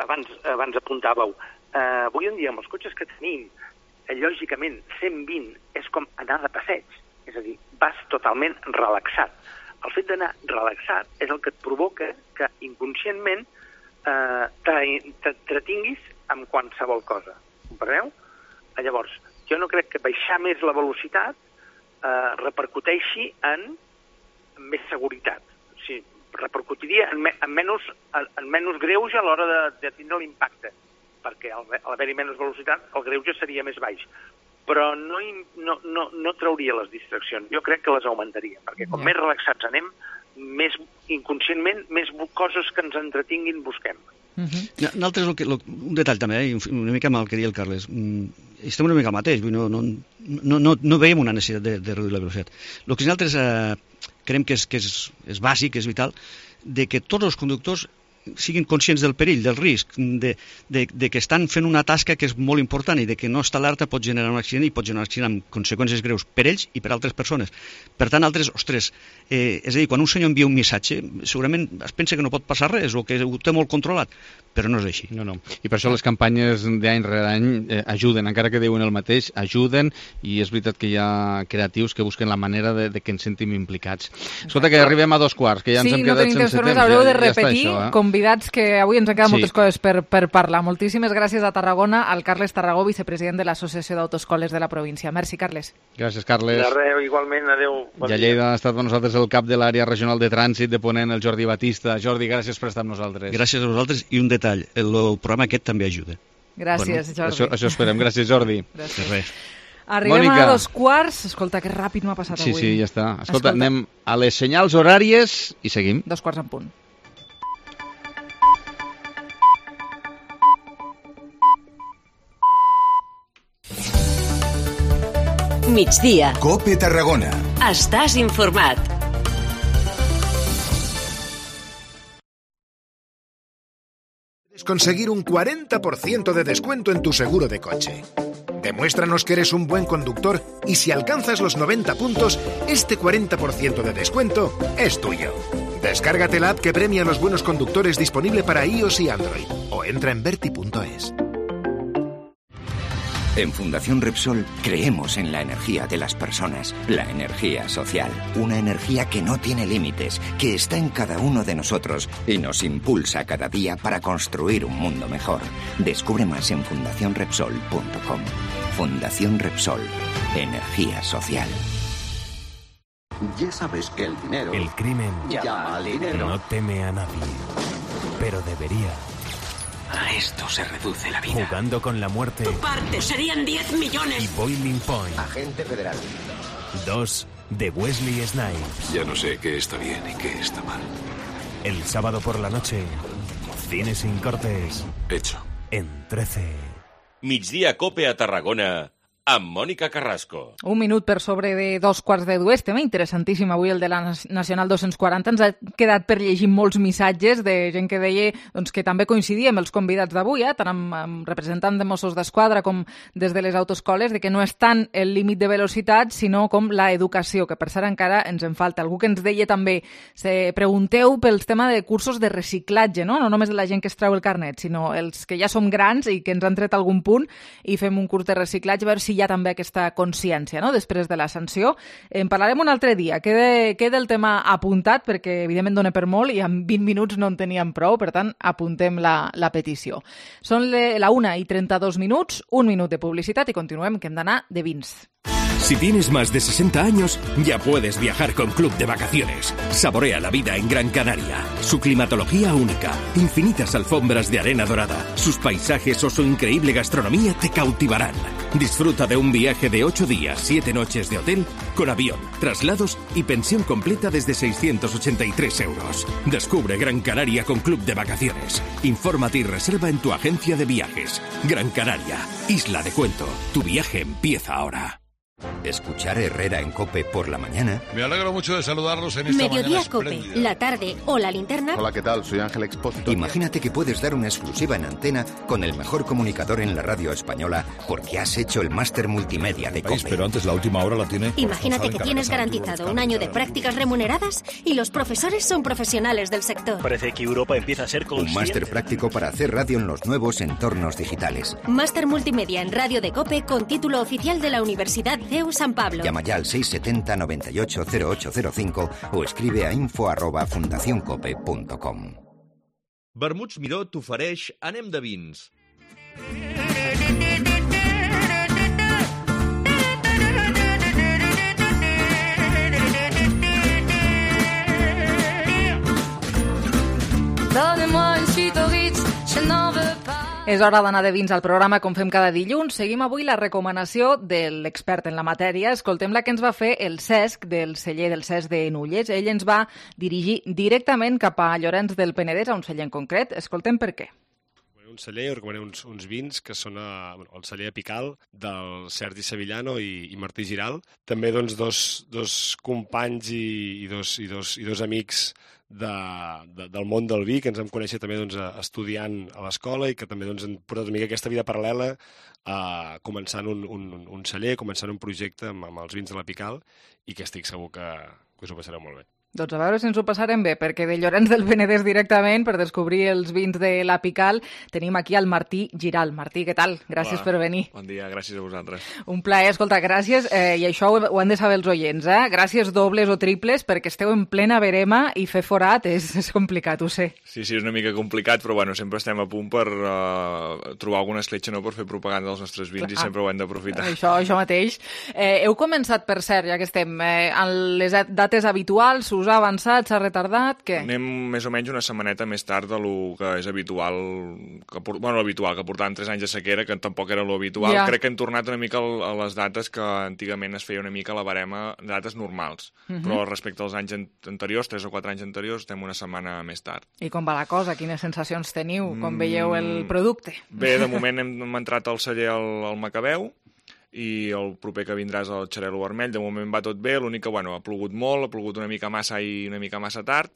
abans apuntàveu, avui en dia amb els cotxes que tenim, lògicament 120 és com anar de passeig, és a dir, vas totalment relaxat. El fet d'anar relaxat és el que et provoca que inconscientment t'entretinguis amb qualsevol cosa. Compreneu? Llavors, jo no crec que baixar més la velocitat repercuteixi en més seguretat. O sigui, repercutiria en menys greuge a l'hora de tindre l'impacte, perquè al haver-hi menys velocitat el greuge seria més baix. però no trauria les distraccions. Jo crec que les augmentaria, perquè com més relaxats anem, més inconscientment, més coses que ens entretinguin busquem. Nosaltres, un detall també, una mica amb el que deia el Carles, estem una mica al mateix, no veiem una necessitat de reduir la velocitat. El que nosaltres creiem que és bàsic, és vital, de que tots els conductors siguin conscients del perill, del risc, de que estan fent una tasca que és molt important i de que no estar alerta pot generar un accident i pot generar un accident amb conseqüències greus per ells i per altres persones. Per tant, és a dir, quan un senyor envia un missatge, segurament es pensa que no pot passar res o que ho té molt controlat, però no és així. No. I per això les campanyes d'any rere any ajuden, encara que diuen el mateix, ajuden, i és veritat que hi ha creatius que busquen la manera de que ens sentim implicats. Escolta, que arribem a 2:15, que ja ens hem quedat sense temps. Haureu de repetir, convidats, que avui ens han quedat moltes coses per parlar. Moltíssimes gràcies a Tarragona, al Carles Tarragó, vicepresident de l'Associació d'Autoscoles de la província. Merci, Carles. Gràcies, Carles. De res, igualment, adeu. I a Lleida ha estat amb nosaltres el cap de l'àrea regional de trànsit de Ponent, el Jordi Batista. Jordi, gràcies per estar amb nosaltres. Gràcies a vosaltres, i un detall, el programa aquest també ajuda. Gràcies, Jordi. Això esperem. Gràcies, Jordi. Gràcies. Res. Arribem a 2:15. Escolta, que ràpid m'ha passat avui. Sí, ja està. Escolta, anem a les senyals horàries i seguim. 2:15 en punt. Migdia. COPE Tarragona. Estàs informat. Puedes conseguir un 40% de descuento en tu seguro de coche. Demuéstranos que eres un buen conductor y si alcanzas los 90 puntos, este 40% de descuento es tuyo. Descárgate la app que premia a los buenos conductores, disponible para iOS y Android, o entra en verti.es. En Fundación Repsol creemos en la energía de las personas, la energía social. Una energía que no tiene límites, que está en cada uno de nosotros y nos impulsa cada día para construir un mundo mejor. Descubre más en fundacionrepsol.com. Fundación Repsol. Energía social. Ya sabes que el dinero... El crimen llama al dinero. No teme a nadie, pero debería. A esto se reduce la vida. Jugando con la muerte. Tu parte serían 10 millones. Y Boiling Point. Agente federal. 2 de Wesley Snipes. Ya no sé qué está bien y qué está mal. El sábado por la noche, Cine sin cortes. Hecho. En 13. Migdia Cope a Tarragona, amb Mònica Carrasco. Un minut per sobre de 2:15. Tema interessantíssim avui el de la Nacional 240. Ens ha quedat per llegir molts missatges de gent que deia que també coincidia amb els convidats d'avui, tant amb representants de Mossos d'Esquadra com des de les autoescoles, de que no és tant el límit de velocitat, sinó com la educació, que per cert encara ens en falta. Algú que ens deia també, pregunteu pels tema de cursos de reciclatge, no només de la gent que es treu el carnet, sinó els que ja som grans i que ens han tret algun punt i fem un curs de reciclatge, a veure si hi ha també aquesta consciència, després de la sanció. En parlarem un altre dia. Queda el tema apuntat, perquè evidentment dona per molt i en 20 minuts no en teníem prou, per tant, apuntem la petició. Són la 1:32, un minut de publicitat i continuem, que hem d'anar de vins. Si tienes más de 60 años, ya puedes viajar con Club de Vacaciones. Saborea la vida en Gran Canaria. Su climatología única, infinitas alfombras de arena dorada, sus paisajes o su increíble gastronomía te cautivarán. Disfruta de un viaje de 8 días, 7 noches de hotel, con avión, traslados y pensión completa desde 683 euros. Descubre Gran Canaria con Club de Vacaciones. Infórmate y reserva en tu agencia de viajes. Gran Canaria, isla de cuento. Tu viaje empieza ahora. Escuchar Herrera en COPE por la mañana. Me alegro mucho de saludarlos en esta Mediodía mañana COPE, espléndida. la tarde o la linterna. Hola, ¿qué tal? Soy Ángel Expósito. Imagínate que puedes dar una exclusiva en antena con el mejor comunicador en la radio española porque has hecho el máster multimedia de COPE. Pero antes la última hora la tiene. Imagínate que tienes garantizado un año de prácticas remuneradas y los profesores son profesionales del sector. Parece que Europa empieza a ser consciente. Un máster práctico para hacer radio en los nuevos entornos digitales. Máster multimedia en radio de COPE con título oficial de la Universidad CEU San Pablo. Llama ya al 670 98 0805 o escribe a info@fundacioncope.com. Vermuts Miró t'ofereix Anem de vins. Donnez-moi une suite au Ritz, je n'en veux pas. És hora d'anar de vins al programa com fem cada dilluns. Seguim avui la recomanació de l'expert en la matèria. Escoltem la que ens va fer el Cesc del celler del Cesc de Nulles. Ell ens va dirigir directament cap a Llorenç del Penedès, a un celler en concret. Escoltem per què. Un celler, recomanem uns vins que són el celler apical del Sergi Sevillano i Martí Giral. També doncs, dos companys i dos amics del món del vi, que ens vam conèixer també doncs, estudiant a l'escola i que també doncs, han portat una mica aquesta vida paral·lela començant un celler, començant un projecte amb els vins de l'Apical i que estic segur que us ho passareu molt bé. Doncs a veure si ens ho passarem bé, perquè de Llorenç del Penedès directament, per descobrir els vins de l'Apical, tenim aquí el Martí Giral. Martí, què tal? Gràcies per venir. Bon dia, gràcies a vosaltres. Un plaer, escolta, gràcies, i això ho han de saber els oients, gràcies dobles o triples, perquè esteu en plena verema i fer forat és complicat, ho sé. Sí, és una mica complicat, però bueno, sempre estem a punt per trobar alguna escletxa, no?, per fer propaganda dels nostres vins. Clar. I sempre ho hem d'aprofitar. Això mateix. Heu començat, per cert, ja que estem, en les dates habituals, us ha avançat, s'ha retardat, què? Anem més o menys una setmaneta més tard de lo que és habitual, que portàvem 3 anys de sequera, que tampoc era lo habitual. Ja. Crec que hem tornat una mica a les dates que antigament es feia una mica a la barema, dates normals. Però respecte als anys anteriors, 3 o 4 anys anteriors, estem una setmana més tard. I com va la cosa? Quines sensacions teniu quan veieu el producte? Bé, de moment hem entrat al celler al Macabeu, i el proper que vindrà és el Xarel·lo Vermell. De moment va tot bé, l'únic que ha plogut molt, ha plogut una mica massa i una mica massa tard,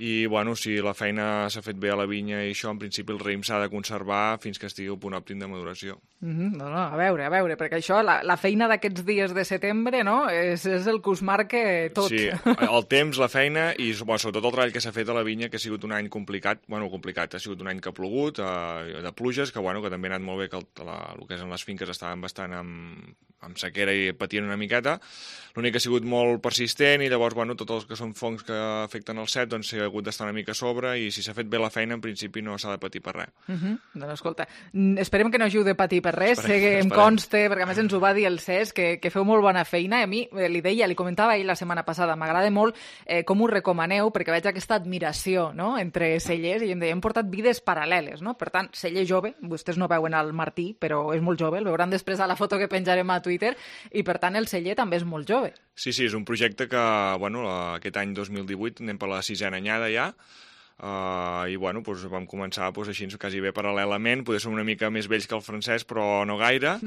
i si la feina s'ha fet bé a la vinya i això, en principi el raïm s'ha de conservar fins que estigui al punt òptim de maduració. A veure, perquè això, la feina d'aquests dies de setembre, no?, és el que us marca tot. Sí, el temps, la feina i sobretot el treball que s'ha fet a la vinya, que ha sigut un any complicat, ha sigut un any que ha plogut, de pluges, que també ha anat molt bé, que el que són les finques estaven bastant amb sequera i patien una miqueta. L'únic que ha sigut molt persistent i llavors, tots els que són fongs que afecten el cep, doncs s'ha hagut d'estar una mica a sobre i si s'ha fet bé la feina, en principi no s'ha de patir per res. Doncs escolta, esperem que no hàgiu de patir per res, sé que em conste, perquè a més ens ho va dir el Cesc, que feu molt bona feina, i a mi li comentava ell la setmana passada, m'agrada molt com ho recomaneu, perquè veig aquesta admiració, no?, entre cellers, i em deia, hem portat vides paral·leles, no? Per tant, celler jove, vostès no veuen el Martí, però és molt jove, el veuran després a la foto que penjarem a Twitter, i per tant el celler també és molt jove. Sí, és un projecte que, aquest any 2018 anem per la 6a anyada ja, i vam començar així quasi bé paral·lelament, poder ser una mica més vells que el francès, però no gaire,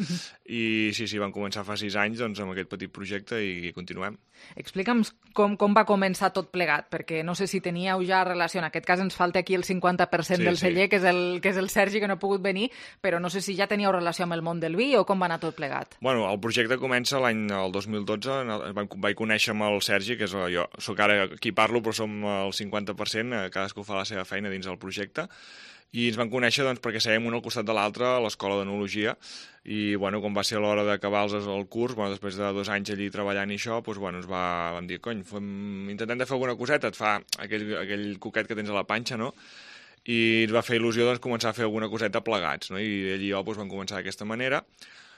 i vam començar fa 6 anys amb aquest petit projecte i continuem. Explica'm com va començar tot plegat, perquè no sé si teníeu ja relació, en aquest cas ens falta aquí el 50% del celler, que és el Sergi, que no ha pogut venir, però no sé si ja teníeu relació amb el món del vi o com va anar tot plegat. El projecte comença el 2012, vaig conèixer amb el Sergi, que és jo, soc ara qui parlo, però som el 50%, cadascú fa la seva feina dins del projecte, i ens van conèixer perquè sèiem un al costat de l'altre a l'escola d'enologia, i quan va ser l'hora d'acabar el curs, després de 2 anys allí treballant i això, vam dir, intentem de fer alguna coseta, et fa aquell coquet que tens a la panxa, no?, i ens va fer il·lusió començar a fer alguna coseta plegats, no?, i ell i jo vam començar d'aquesta manera.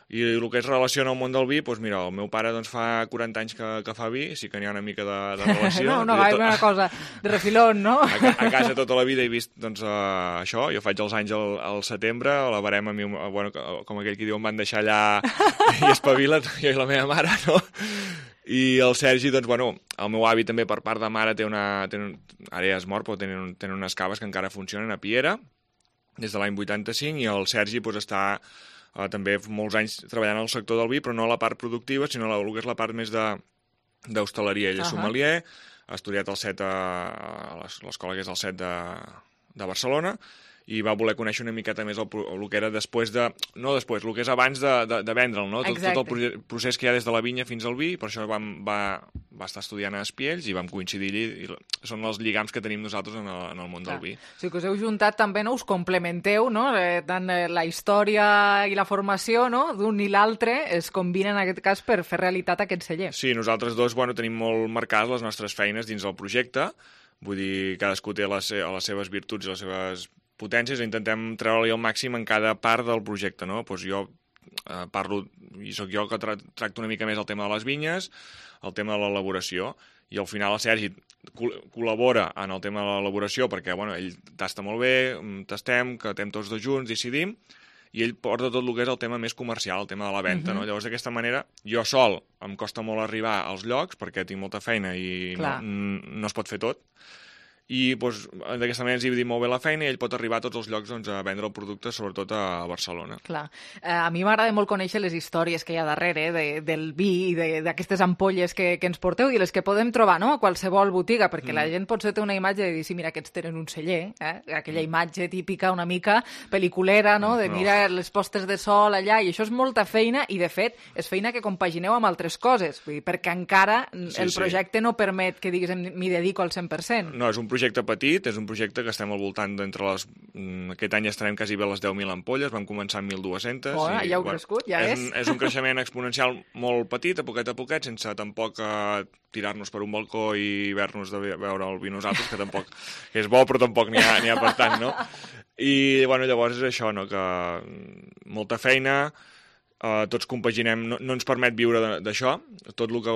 I el que es relaciona al món del vi, mira, el meu pare fa 40 anys que fa vi, sí que n'hi ha una mica de relació. No gaire una cosa de refilón, no? A casa tota la vida he vist això, jo faig els anys al setembre, a la barema, com aquell que diu, em van deixar allà i espavila't, jo i la meva mare, no? I el Sergi, el meu avi també per part de mare ara ja és mort, però tenen unes caves que encara funcionen a Piera, des de l'any 85, i el Sergi està també molts anys treballant al sector del vi, però no a la part productiva, sinó el que és la part més d'hostaleria. Ell és sommelier, ha estudiat el CET a l'escola que és el CET de Barcelona, i va voler conèixer una miqueta més el que era el que és abans de vendre'l, no? Tot el procés que hi ha des de la vinya fins al vi, per això va estar estudiant a Espiells i vam coincidir allí, i són els lligams que tenim nosaltres en el món del vi. O sigui que us heu juntat també, no? Us complementeu, no? Tant la història i la formació, no?, d'un i l'altre es combinen en aquest cas per fer realitat aquest celler. Sí, nosaltres dos tenim molt marcades les nostres feines dins del projecte, vull dir, cadascú té les seves virtuts i les seves potències, intentem treure-li el màxim en cada part del projecte, no? Jo parlo, i sóc jo que tracto una mica més el tema de les vinyes, el tema de l'elaboració, i al final el Sergi col·labora en el tema de l'elaboració perquè ell tasta molt bé, tastem, que tastem tots dos junts, decidim, i ell porta tot el que és el tema més comercial, el tema de la venda, no? Llavors, d'aquesta manera, jo sol em costa molt arribar als llocs perquè tinc molta feina i no es pot fer tot, i d'aquesta manera ens dividim molt bé la feina i ell pot arribar a tots els llocs a vendre el producte, sobretot a Barcelona. Clar. A mi m'agrada molt conèixer les històries que hi ha darrere del vi i d'aquestes ampolles que ens porteu i les que podem trobar a qualsevol botiga, perquè la gent potser té una imatge de dir, sí, mira, aquests tenen un celler, aquella imatge típica una mica pel·liculera, de mira les postes de sol allà, i això és molta feina i, de fet, és feina que compagineu amb altres coses, perquè encara el projecte no permet que diguis m'hi dedico al 100%. No, és un projecte petit, és un projecte que estem al voltant d'entre les... Aquest any estarem quasi bé a les 10.000 ampolles, vam començar amb 1.200. Ja heu crescut, ja és. És un creixement exponencial molt petit, a poquet, sense tampoc tirar-nos per un balcó i haver-nos de veure el vi nosaltres, que tampoc és bo, però tampoc n'hi ha per tant, no? I llavors és això, que molta feina... tots compaginem, no ens permet viure d'això, tot el que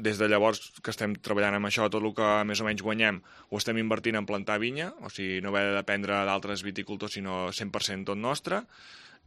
des de llavors que estem treballant amb això, tot el que més o menys guanyem ho estem invertint en plantar vinya, o sigui, no haver de dependre d'altres viticultors, sinó 100% tot nostre,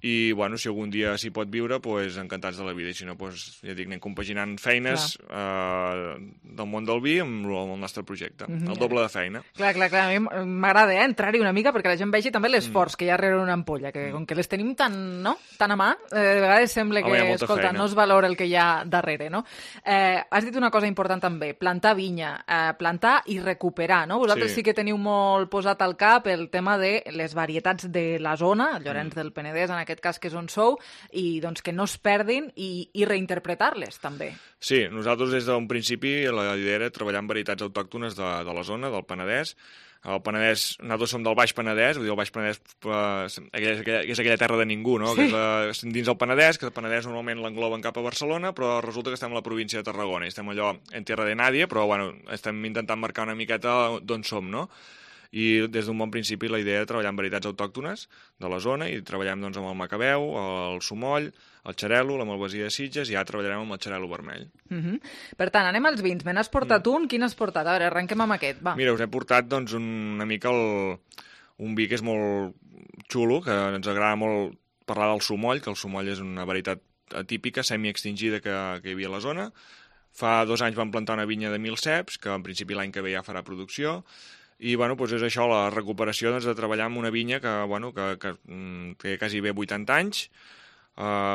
i si algun dia s'hi pot viure, encantats de la vida, i si no, ja dic, anem compaginant feines del món del vi amb el nostre projecte, el doble de feina. Clar, a mi m'agrada entrar-hi una mica perquè la gent vegi també l'esforç que hi ha darrere una ampolla, que com que les tenim tan a mà, de vegades sembla que, escolta, no es valora el que hi ha darrere, no? Has dit una cosa important també, plantar vinya, plantar i recuperar, no? Vosaltres sí que teniu molt posat al cap el tema de les varietats de la zona, Llorenç del Penedès, en aquest cas que és on sou, i que no es perdin i reinterpretar-les també. Sí, nosaltres des d'un principi la idea era treballar amb varietats autòctones de la zona, del Penedès. El Penedès, nosaltres som del Baix Penedès, vull dir, el Baix Penedès és aquella terra de ningú, no? Sí. Que és dins el Penedès, que el Penedès normalment l'engloben cap a Barcelona, però resulta que estem a la província de Tarragona, i estem allò en tierra de nadie, però estem intentant marcar una miqueta d'on som, no? I des d'un bon principi la idea de treballar amb varietats autòctones de la zona, i treballem amb el macabeu, el sumoll, el xarel·lo, la malvasia de Sitges, i ara treballarem amb el xarel·lo vermell. Per tant, anem als vins. Me n'has portat un? Quin has portat? A veure, arrenquem amb aquest, va. Mira, us he portat una mica un vi que és molt xulo, que ens agrada molt parlar del sumoll, que el sumoll és una varietat atípica, semi-extingida que hi havia a la zona. Fa 2 anys vam plantar una vinya de 1.000 ceps, que en principi l'any que ve ja farà producció, i és això, la recuperació de treballar amb una vinya que té quasi bé 80 anys,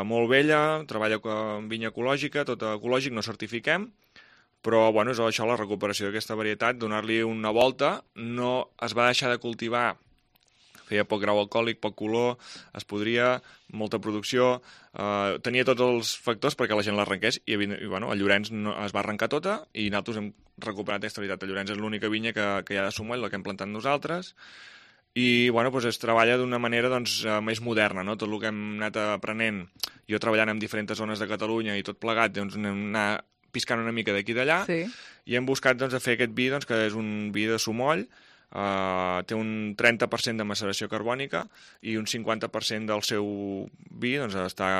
molt vella, treballa amb vinya ecològica, tot ecològic, no certifiquem, però és això, la recuperació d'aquesta varietat, donar-li una volta. No es va deixar de cultivar, feia poc grau alcohòlic, poc color, es podria, molta producció, tenia tots els factors perquè la gent l'arrenqués, i a Llorenç es va arrencar tota, i nosaltres hem recuperat aquesta varietat. A Llorenç és l'única vinya que hi ha de sumoll, la que hem plantat nosaltres, i es treballa d'una manera més moderna, no? Tot el que hem anat aprenent, jo treballant en diferents zones de Catalunya i tot plegat, hem anat piscant una mica d'aquí i d'allà, i hem buscat fer aquest vi, que és un vi de sumoll. Té un 30% de maceració carbònica i un 50% del seu vi està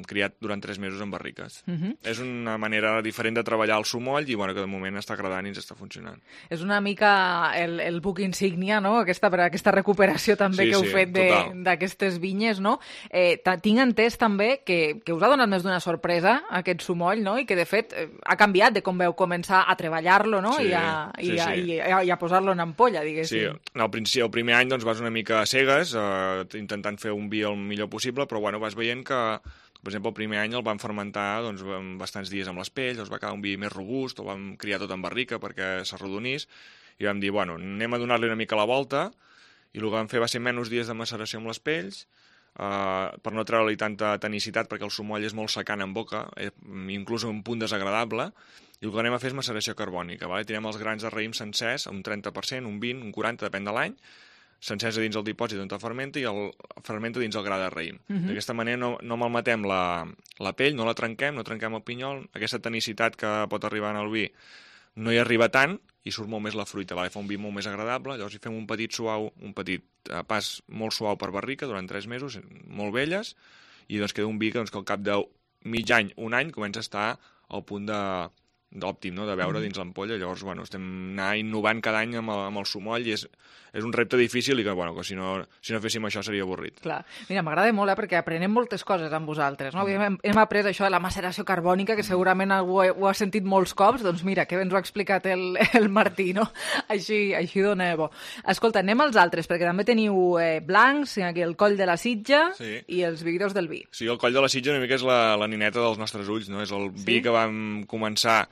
criat durant 3 mesos en barriques. És una manera diferent de treballar el sumoll i que de moment està agradant i ens està funcionant. És una mica el buc insígnia, no? Aquesta recuperació també que heu fet d'aquestes vinyes, no? Tinc entès també que us ha donat més d'una sorpresa aquest sumoll, no? I que de fet ha canviat de com veu començar a treballar-lo, no? I a posar-lo en ampolla, diguéssim. Sí, el primer any vas una mica a cegues, intentant fer un vi el millor possible, però vas veient que, per exemple, el primer any el vam fermentar bastants dies amb les pells, va quedar un vi més robust, el vam criar tot en barrica perquè s'arrodonís, i vam dir, anem a donar-li una mica la volta, i el que vam fer va ser menys dies de maceració amb les pells, per no treure-li tanta tenicitat, perquè el sumoll és molt secant en boca, inclús un punt desagradable, i el que anem a fer és maceració carbònica. Tirem els grans de raïm sencers, un 30%, un 20%, un 40%, depèn de l'any, sencers a dins el dipòsit on fermenta i el fermenta dins el gra de raïm. D'aquesta manera no malmetem la pell, no la trenquem, no trenquem el pinyol, aquesta tenicitat que pot arribar en el vi no hi arriba tant i surt molt més la fruita, fa un vi molt més agradable, llavors hi fem un petit pas molt suau per barrica durant 3 mesos, molt velles, i queda un vi que al cap de mig any, un any, comença a estar al punt òptim, no?, de veure dins l'ampolla. Llavors, bueno, estem anar innovant cada any amb el sumoll i és un repte difícil i que, bueno, que si no féssim això seria avorrit. Clar. Mira, m'agrada molt, perquè aprenem moltes coses amb vosaltres, no? Hem après això de la maceració carbònica, que segurament algú ho ha sentit molts cops, doncs mira, que ens ho ha explicat el Martí, no? Així dona bo. Escolta, anem als altres, perquè també teniu blancs, aquí el Coll de la Sitja i els Vividors del Vi. Sí, el Coll de la Sitja una mica és la nineta dels nostres ulls, no? És el vi que vam començar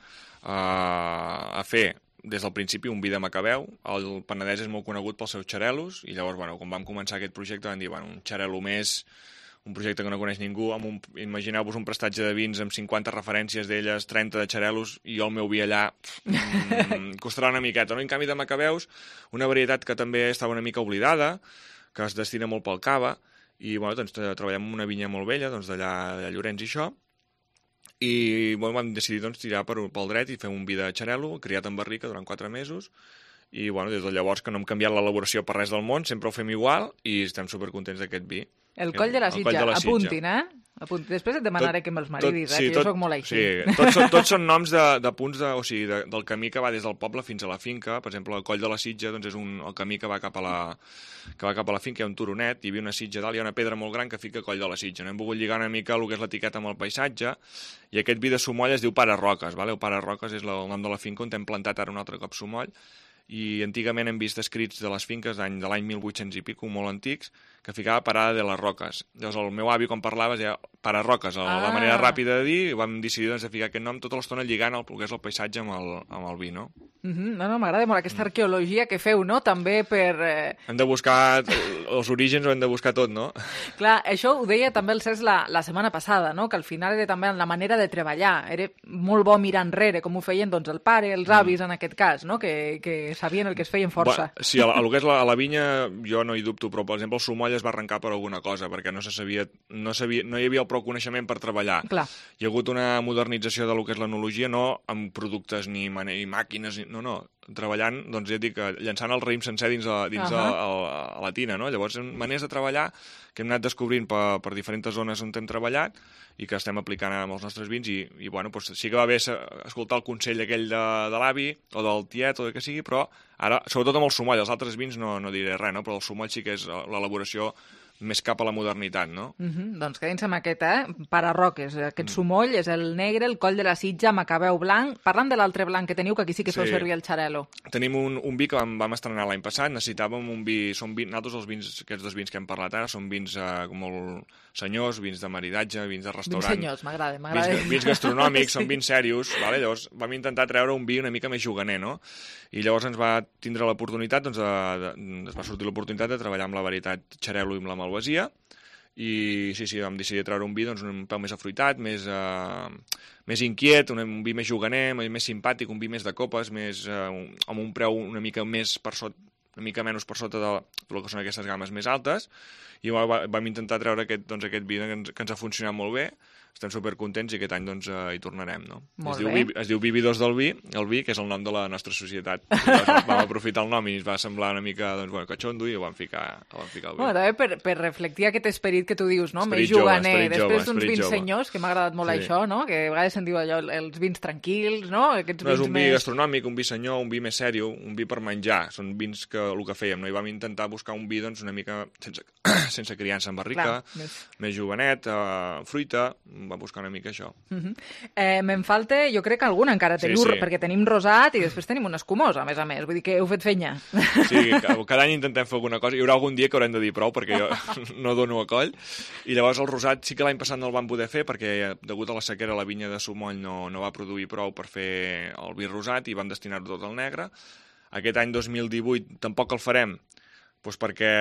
a fer des del principi, un vi de Macabeu. El Penedès és molt conegut pels seus xarelos i llavors, bueno, quan vam començar aquest projecte vam dir, bueno, un xarelo més, un projecte que no coneix ningú, imagineu-vos un prestatge de vins amb 50 referències d'elles, 30 de xarelos, i jo el meu vi allà costarà una miqueta, no? En canvi de Macabeus, una varietat que també estava una mica oblidada, que es destina molt pel cava, i bueno, doncs, treballem en una vinya molt vella, doncs, d'allà Llorenç i això, i bueno, vam decidir tirar pel dret i fer un vi de xarelo, criat en barrica durant 4 mesos, i bueno, des de llavors que no hem canviat l'elaboració per res del món, sempre ho fem igual i estem supercontents d'aquest vi. El Coll de la Sitja, apuntin, Després et demanaré que me'ls maridis, que jo soc molt així. Sí, tots són noms de punts del camí que va des del poble fins a la finca. Per exemple, el Coll de la Sitja és el camí que va cap a la finca, hi ha un turonet, hi havia una sitja dalt, hi ha una pedra molt gran que fica Coll de la Sitja. Hem volgut lligar una mica el que és l'etiqueta amb el paisatge, i aquest vi de Sumoll es diu Pare Roques. El Pare Roques és el nom de la finca on hem plantat ara un altre cop Sumoll, i antigament hem vist escrits de les finques de l'any 1800 i pico, molt antics, que ficava Parada de les Roques. Llavors el meu avi, quan parlava, deia Pare Roques, la manera ràpida de dir, i vam decidir de ficar aquest nom tota l'estona lligant el que és el paisatge amb el vi, no? No, m'agrada molt aquesta arqueologia que feu, no? També per... Hem de buscar els orígens, ho hem de buscar tot, no? Clar, això ho deia també el Cesc la setmana passada, no? Que al final era també la manera de treballar. Era molt bo mirar enrere, com ho feien doncs, el pare, els avis, en aquest cas, no? Que sabien el que es feien força. Sí, a lo que és la vinya jo no hi dubto, però per exemple el Sumoll es va arrencar per alguna cosa, perquè no hi havia prou coneixement per treballar. Clar. Hi ha hagut una modernització de lo que és l'enologia, no amb productes ni màquines, no, treballant, doncs ja et dic, llançant el raïm sencer dins la tina, no? Llavors, maneres de treballar que hem anat descobrint per diferents zones on hem treballat i que estem aplicant amb els nostres vins i bueno, doncs sí que va bé escoltar el consell aquell de l'avi o del tiet o del que sigui, però ara, sobretot amb el Sumoll, els altres vins no diré res, no? Però el Sumoll sí que és l'elaboració més cap a la modernitat, no? Doncs quedin-se amb aquest, Pare Roques. Aquest Sumoll és el negre, el Coll de la Sitja, Macabeu blanc. Parlant de l'altre blanc que teniu, que aquí sí que feu servir el xarelo. Tenim un vi que vam estrenar l'any passat. Necessitàvem un vi... Nosaltres els vins, aquests dos vins que hem parlat ara, són vins molt senyors, vins de maridatge, vins de restaurant. Vins senyors, m'agrada. Vins gastronòmics, són vins serios. Llavors vam intentar treure un vi una mica més juganer, no? I llavors ens va tindre l'oportunitat, ens va sortir l'oportunitat de treballar amb la varietat xarelo i amb la malvasia, i sí, vam decidir treure un vi un pèl més afruitat, més inquiet, un vi més juganer, més simpàtic, un vi més de copes, amb un preu una mica més per sota, una mica menys per sota del que són aquestes games més altes, i vam intentar treure aquest vi que ens ha funcionat molt bé. Estem supercontents i aquest any hi tornarem, no? Es diu Vividors del Vi, el vi, que és el nom de la nostra societat. Vam aprofitar el nom i ens va semblar una mica catxondo i ho vam ficar al vi. També per reflectir aquest esperit que tu dius, no? Més juganer, després d'uns vins senyors, que m'ha agradat molt això, no? Que a vegades se'n diu allò, els vins tranquils, no? És un vi gastronòmic, un vi senyor, un vi més sèrio, un vi per menjar. Són vins que el que fèiem, no? I vam intentar buscar un vi una mica sense criança en barrica, més juganet, fruita. Va buscar una mica això. Me'n falta, jo crec que alguna encara teniu, perquè tenim rosat i després tenim un escumós, a més. Vull dir que heu fet fenya. Sí, cada any intentem fer alguna cosa. Hi haurà algun dia que haurem de dir prou, perquè jo no dono a coll. I llavors el rosat sí que l'any passat no el vam poder fer, perquè degut a la sequera la vinya de Sumoll no va produir prou per fer el vi rosat i vam destinar-ho tot al negre. Aquest any 2018 tampoc el farem, doncs perquè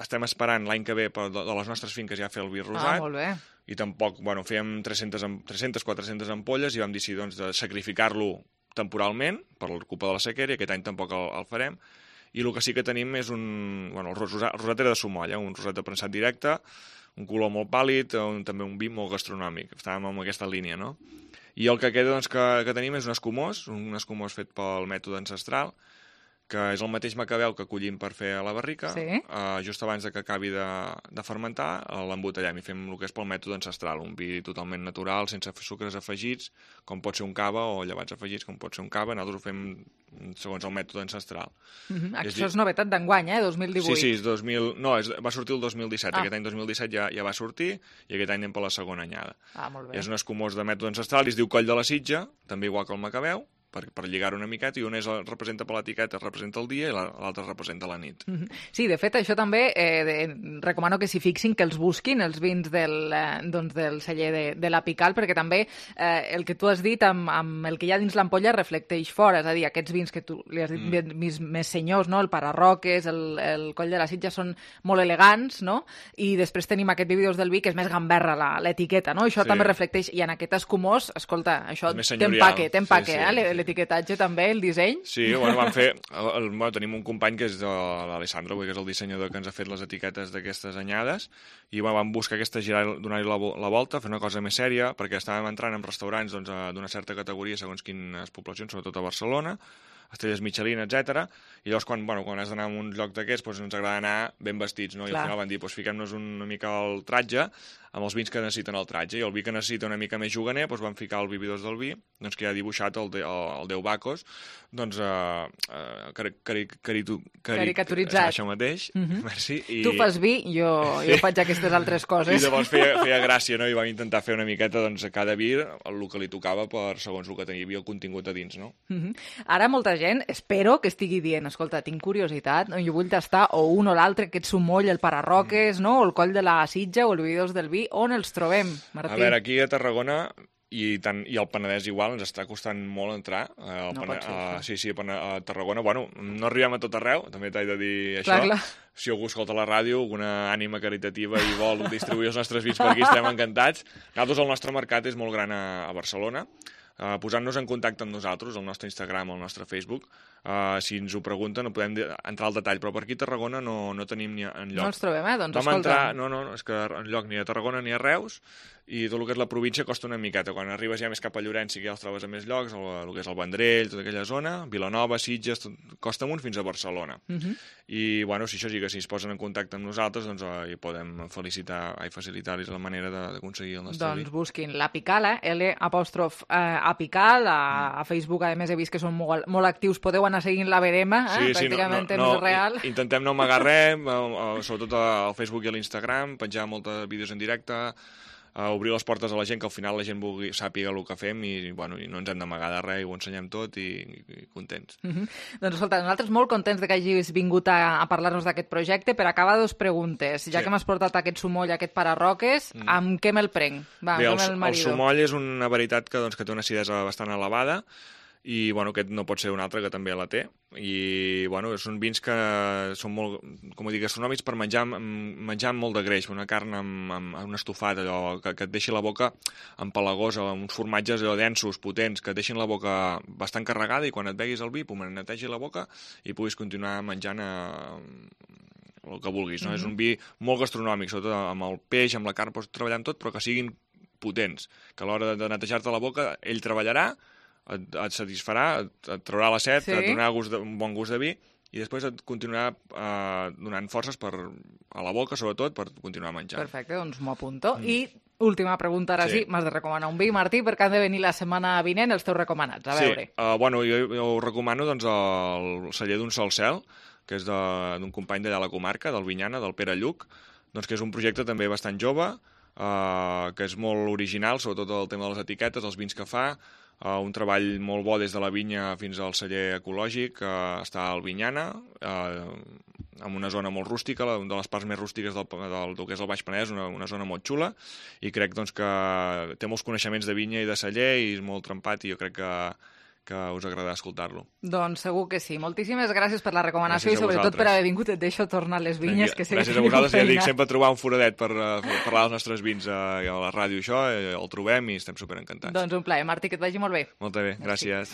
estem esperant l'any que ve de les nostres finques ja fer el vi rosat. Molt bé. I tampoc, fèiem 300-400 ampolles i vam decidir de sacrificar-lo temporalment per culpa de la sequera i aquest any tampoc el farem. I el que sí que tenim és el rosat era de Sumoll, un rosat de premsat directe, un color molt pàl·lid, també un vi molt gastronòmic. Estàvem en aquesta línia, no? I el que queda que tenim és un escumós fet pel mètode ancestral, que és el mateix macabeu que collim per fer a la barrica, just abans que acabi de fermentar, l'embotellem i fem el que és pel mètode ancestral, un vi totalment natural, sense sucres afegits, com pot ser un cava, o llevats afegits, com pot ser un cava. Nosaltres ho fem segons el mètode ancestral. Això és novetat d'enguany, 2018. Sí, va sortir el 2017. Aquest any 2017 ja va sortir i aquest any anem per la segona anyada. Molt bé. És un escumós de mètode ancestral i es diu Coll de la Sitja, també igual que el macabeu, per lligar-ho una miqueta, i un representa per l'etiqueta, representa el dia, i l'altre representa la nit. Sí, de fet, això també recomano que s'hi fixin, que els busquin, els vins del celler de la Pical, perquè també el que tu has dit amb el que hi ha dins l'ampolla reflecteix fora, és a dir, aquests vins que tu li has dit més senyors, no? El Pararroques, el Coll de la Sitja, són molt elegants, no? I després tenim aquest Vividors del vi, que és més gamberra l'etiqueta, no? Això també reflecteix, i en aquest escumós, escolta, això t'empaque, l'etiquetatge també, el disseny. Sí, vam fer... Tenim un company que és l'Alessandro, que és el dissenyador que ens ha fet les etiquetes d'aquestes anyades, i vam buscar donar-hi la volta, fer una cosa més sèria, perquè estàvem entrant en restaurants d'una certa categoria segons quines poblacions, sobretot a Barcelona, estrelles Michelin, etc. I llavors, quan has d'anar a un lloc d'aquests, ens agrada anar ben vestits, no? I al final van dir, fiquem-nos una mica al tratge, amb els vins que necessiten el tratge, i el vi que necessita una mica més juganer, vam ficar el Vividors del vi, que ha dibuixat el Déu Bacos, caricaturitzat. Això mateix, merci. Tu fas vi, jo faig aquestes altres coses. I llavors feia gràcia, no? I vam intentar fer una miqueta, a cada vi, el que li tocava segons el que tenia el contingut a dins, no? Ara molta gent, espero que estigui dient, escolta, tinc curiositat, jo vull tastar o un o l'altre, aquest sumoll, el Pararroques, no? O el Coll de la Sitja, o el Vividors del vi. On els trobem, Martí? A veure, aquí a Tarragona i el Penedès igual ens està costant molt entrar. A Tarragona, no arribem a tot arreu, també t'he de dir això. Clar. Si algú escolta la ràdio, alguna ànima caritativa i vol distribuir els nostres vins per aquí, estem encantats. Nosaltres, el nostre mercat és molt gran a Barcelona. Posant-nos en contacte amb nosaltres, el nostre Instagram o el nostre Facebook. Si ens ho pregunten, no podem entrar al detall, però per aquí a Tarragona no tenim ni enlloc. No els trobem, doncs escolta. És que enlloc ni a Tarragona ni a Reus, i tot el que és la província costa una miqueta. Quan arribes ja més cap a Llorenç, sí que ja els trobes a més llocs, el que és el Vendrell, tota aquella zona, Vilanova, Sitges, costa amunt fins a Barcelona. I, si això sí que si es posen en contacte amb nosaltres, doncs hi podem facilitar-los la manera d'aconseguir el nostre vi. Doncs busquin la Pical, L'_Apical, a Facebook, a més he vist que són molt actius, podeu anar seguint la verema, pràcticament en temps real. Intentem no amagar res, sobretot al Facebook i a l'Instagram, penjar molts vídeos en directe, obrir les portes a la gent, que al final la gent sàpiga el que fem i no ens hem d'amagar de res, i ho ensenyem tot i contents. Doncs escolta, nosaltres molt contents que hagis vingut a parlar-nos d'aquest projecte. Per acabar, 2 preguntes. Ja que m'has portat aquest sumoll, aquest Pararroques, amb què me'l prenc? El sumoll és una varietat que té una acidesa bastant elevada, i aquest no pot ser un altre que també la té, i són vins que són molt, com dic, gastronòmics per menjar amb molt de greix, una carn amb un estofat, allò que et deixi la boca empalagosa, uns formatges allò densos, potents, que et deixin la boca bastant carregada, i quan et beguis el vi, et netegi la boca i puguis continuar menjant el que vulguis, no? És un vi molt gastronòmic, sobretot amb el peix, amb la carn, pots treballar amb tot, però que siguin potents, que a l'hora de netejar-te la boca ell treballarà, et satisfarà, et traurà la set, et donarà un bon gust de vi, i després et continuarà donant forces a la boca, sobretot, per continuar menjant. Perfecte, doncs m'ho apunto. I última pregunta, ara sí, m'has de recomanar un vi, Martí, perquè han de venir la setmana vinent els teus recomanats, a veure. Jo us recomano el celler d'un Sol Cel, que és d'un company d'allà a la comarca, del Vinyana, del Pere Lluc, que és un projecte també bastant jove, que és molt original, sobretot el tema de les etiquetes, els vins que fa, un treball molt bo des de la vinya fins al celler ecològic, està al Vinyana, en una zona molt rústica, una de les parts més rústiques del que és el Baix Penedès, una zona molt xula, i crec que té molts coneixements de vinya i de celler, i és molt trempat, i jo crec que us agradarà escoltar-lo. Doncs segur que sí. Moltíssimes gràcies per la recomanació i sobretot per haver vingut. Et deixo tornar a les vinyes. Gràcies a vosaltres. Ja dic, sempre trobar un foradet per parlar dels nostres vins a la ràdio, això, el trobem i estem superencantats. Doncs un plaer. Martí, que et vagi molt bé. Molt bé, gràcies.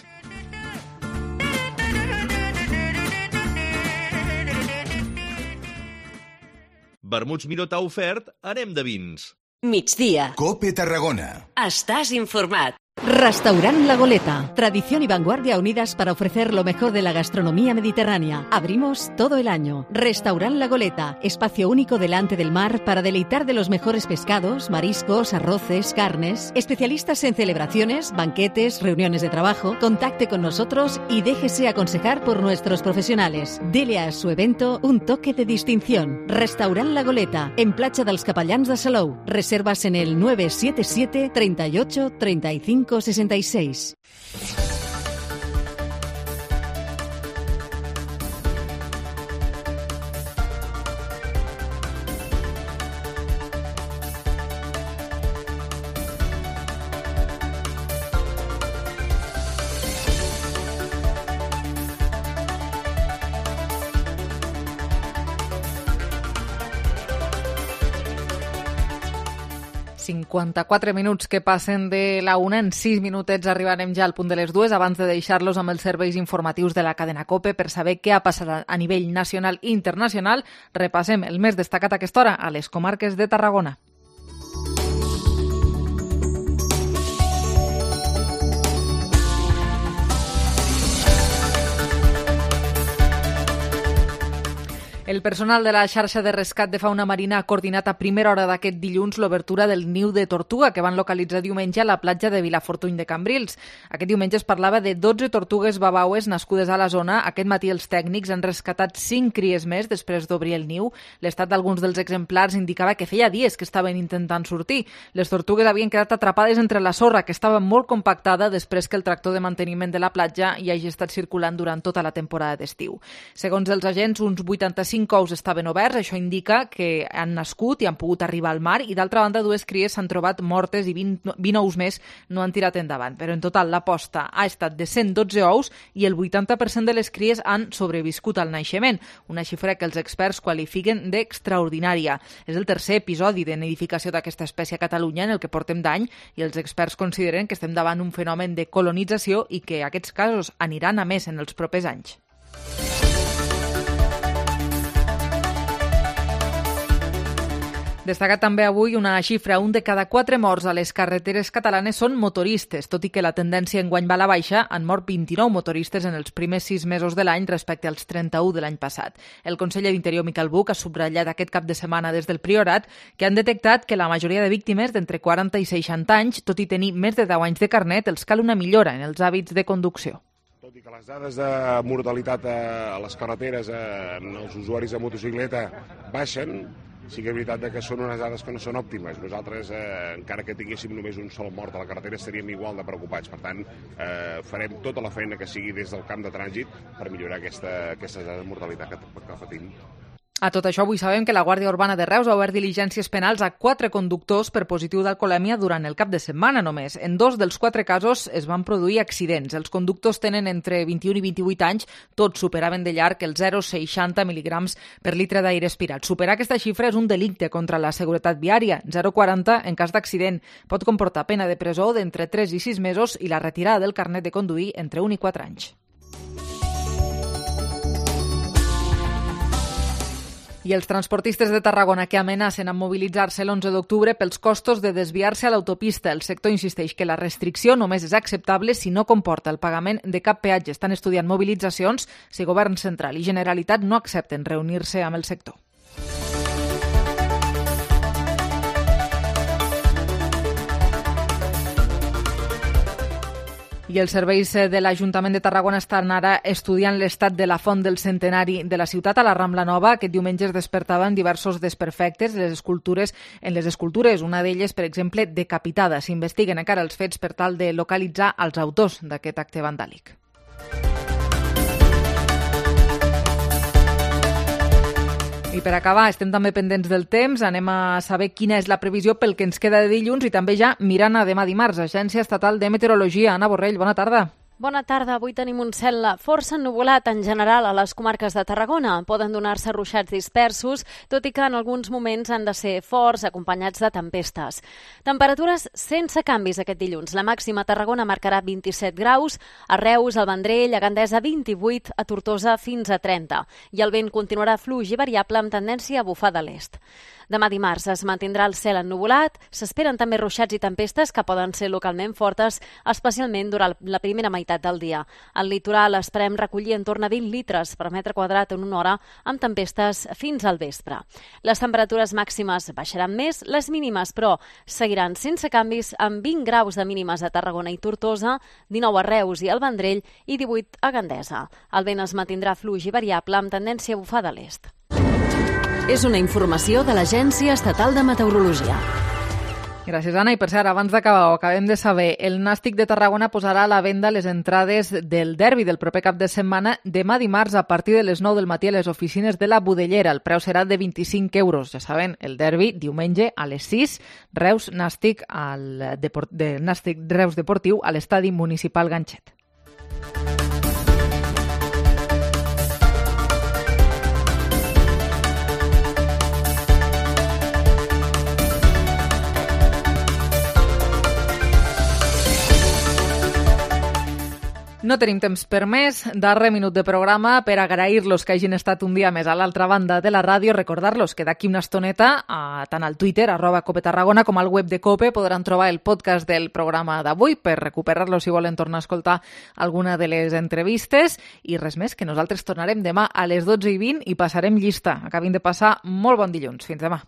Vermuts Miró t'ha ofert Anem de vins. Migdia. Cope Tarragona. Estàs informat. Restaurant La Goleta. Tradición y vanguardia unidas para ofrecer lo mejor de la gastronomía mediterránea. Abrimos todo el año. Restaurant La Goleta. Espacio único delante del mar para deleitar de los mejores pescados, mariscos, arroces, carnes. Especialistas en celebraciones, banquetes, reuniones de trabajo. Contacte con nosotros y déjese aconsejar por nuestros profesionales. Dele a su evento un toque de distinción. Restaurant La Goleta. En Platja dels Capellans de Salou. Reservas en el 977 38 35 66. ...54 minuts que passen de la 1, en 6 minutets arribarem ja al punt de les 2, abans de deixar-los amb els serveis informatius de la cadena COPE per saber què ha passat a nivell nacional i internacional. Repassem el més destacat a aquesta hora a les comarques de Tarragona. El personal de la xarxa de rescat de fauna marina ha coordinat a primera hora d'aquest dilluns l'obertura del niu de tortuga que van localitzar diumenge a la platja de Vilafortuny de Cambrils. Aquest diumenge es parlava de 12 tortugues babaues nascudes a la zona. Aquest matí els tècnics han rescatat 5 cries més després d'obrir el niu. L'estat d'alguns dels exemplars indicava que feia dies que estaven intentant sortir. Les tortugues havien quedat atrapades entre la sorra, que estava molt compactada després que el tractor de manteniment de la platja hi hagi estat circulant durant tota la temporada d'estiu. Segons els agents, uns 85 ous estaven oberts, això indica que han nascut i han pogut arribar al mar, i d'altra banda 2 cries s'han trobat mortes i 20 ous més no han tirat endavant. Però en total l'aposta ha estat de 112 ous i el 80% de les cries han sobreviscut al naixement, una xifra que els experts qualifiquen d'extraordinària. És el tercer episodi de nidificació d'aquesta espècie a Catalunya en el que portem d'any, i els experts consideren que estem davant un fenomen de colonització i que aquests casos aniran a més en els propers anys. Destaca també avui una xifra: 1 de cada 4 morts a les carreteres catalanes són motoristes. Tot i que la tendència enguany va a la baixa, han mort 29 motoristes en els primers 6 mesos de l'any respecte als 31 de l'any passat. El conseller d'Interior, Miquel Buch, ha subratllat aquest cap de setmana des del Priorat que han detectat que la majoria de víctimes d'entre 40 i 60 anys, tot i tenir més de 10 anys de carnet, els cal una millora en els hàbits de conducció. Tot i que les dades de mortalitat a les carreteres en els usuaris de motocicleta baixen, sí que és veritat que són unes dades que no són òptimes. Nosaltres, encara que tinguéssim només un sol mort a la carretera, estaríem igual de preocupats. Per tant, farem tota la feina que sigui des del camp de trànsit per millorar aquestes dades de mortalitat que patim. A tot això, avui sabem que la Guàrdia Urbana de Reus ha obert diligències penals a 4 conductors per positiu d'alcoholèmia durant el cap de setmana només. En 2 dels 4 casos es van produir accidents. Els conductors tenen entre 21 i 28 anys, tots superaven de llarg els 0,60 mil·ligrams per litre d'aire aspirat. Superar aquesta xifra és un delicte contra la seguretat viària. 0,40 en cas d'accident. Pot comportar pena de presó d'entre 3 i 6 mesos i la retirada del carnet de conduir entre 1 i 4 anys. I els transportistes de Tarragona que amenacen amb mobilitzar-se l'11 d'octubre pels costos de desviar-se a l'autopista. El sector insisteix que la restricció només és acceptable si no comporta el pagament de cap peatge. Estan estudiant mobilitzacions si Govern Central i Generalitat no accepten reunir-se amb el sector. I els serveis de l'Ajuntament de Tarragona estan ara estudiant l'estat de la font del centenari de la ciutat a la Rambla Nova. Aquest diumenge es despertaven diversos desperfectes en les escultures, una d'elles, per exemple, decapitada. S'investiguen encara els fets per tal de localitzar els autors d'aquest acte vandàlic. I per acabar, estem també pendents del temps. Anem a saber quina és la previsió pel que ens queda de dilluns i també ja mirant a demà dimarts. Agència Estatal de Meteorologia. Anna Borrell, bona tarda. Bona tarda. Avui tenim un cel força ennuvolat en general a les comarques de Tarragona. Poden donar-se ruixats dispersos, tot i que en alguns moments han de ser forts, acompanyats de tempestes. Temperatures sense canvis aquest dilluns. La màxima a Tarragona marcarà 27 graus, a Reus, al Vendrell, a Gandesa 28, a Tortosa fins a 30. I el vent continuarà fluix i variable amb tendència a bufar de l'est. Demà dimarts es mantindrà el cel ennuvolat, s'esperen també ruixats i tempestes que poden ser localment fortes, especialment durant la primera meitat del dia. Al litoral esperem recollir entorn a 20 litres per metre quadrat en una hora, amb tempestes fins al vespre. Les temperatures màximes baixaran més, les mínimes, però seguiran sense canvis, amb 20 graus de mínimes a Tarragona i Tortosa, 19 a Reus i al Vendrell i 18 a Gandesa. El vent es mantindrà fluix i variable amb tendència a bufar de l'est. És una informació de l'Agència Estatal de Meteorologia. Gràcies, Anna. I per cert, abans d'acabar, ho acabem de saber, el Nàstic de Tarragona posarà a la venda les entrades del derbi del proper cap de setmana demà dimarts a partir de les 9 del matí a les oficines de la Budellera. El preu serà de 25 euros. Ja saben, el derbi diumenge a les 6, Reus-Nàstic Nàstic Reus Deportiu a l'estadi municipal Ganxet. No tenim temps per més. Darrer minut de programa per agrair-los que hagin estat un dia més a l'altra banda de la ràdio. Recordar-los que d'aquí una estoneta, tant al Twitter, @CopeTarragona, com al web de COPE, podran trobar el podcast del programa d'avui per recuperar-lo si volen tornar a escoltar alguna de les entrevistes. I res més, que nosaltres tornarem demà a les 12:20 i passarem llista. Acabin de passar molt bon dilluns. Fins demà.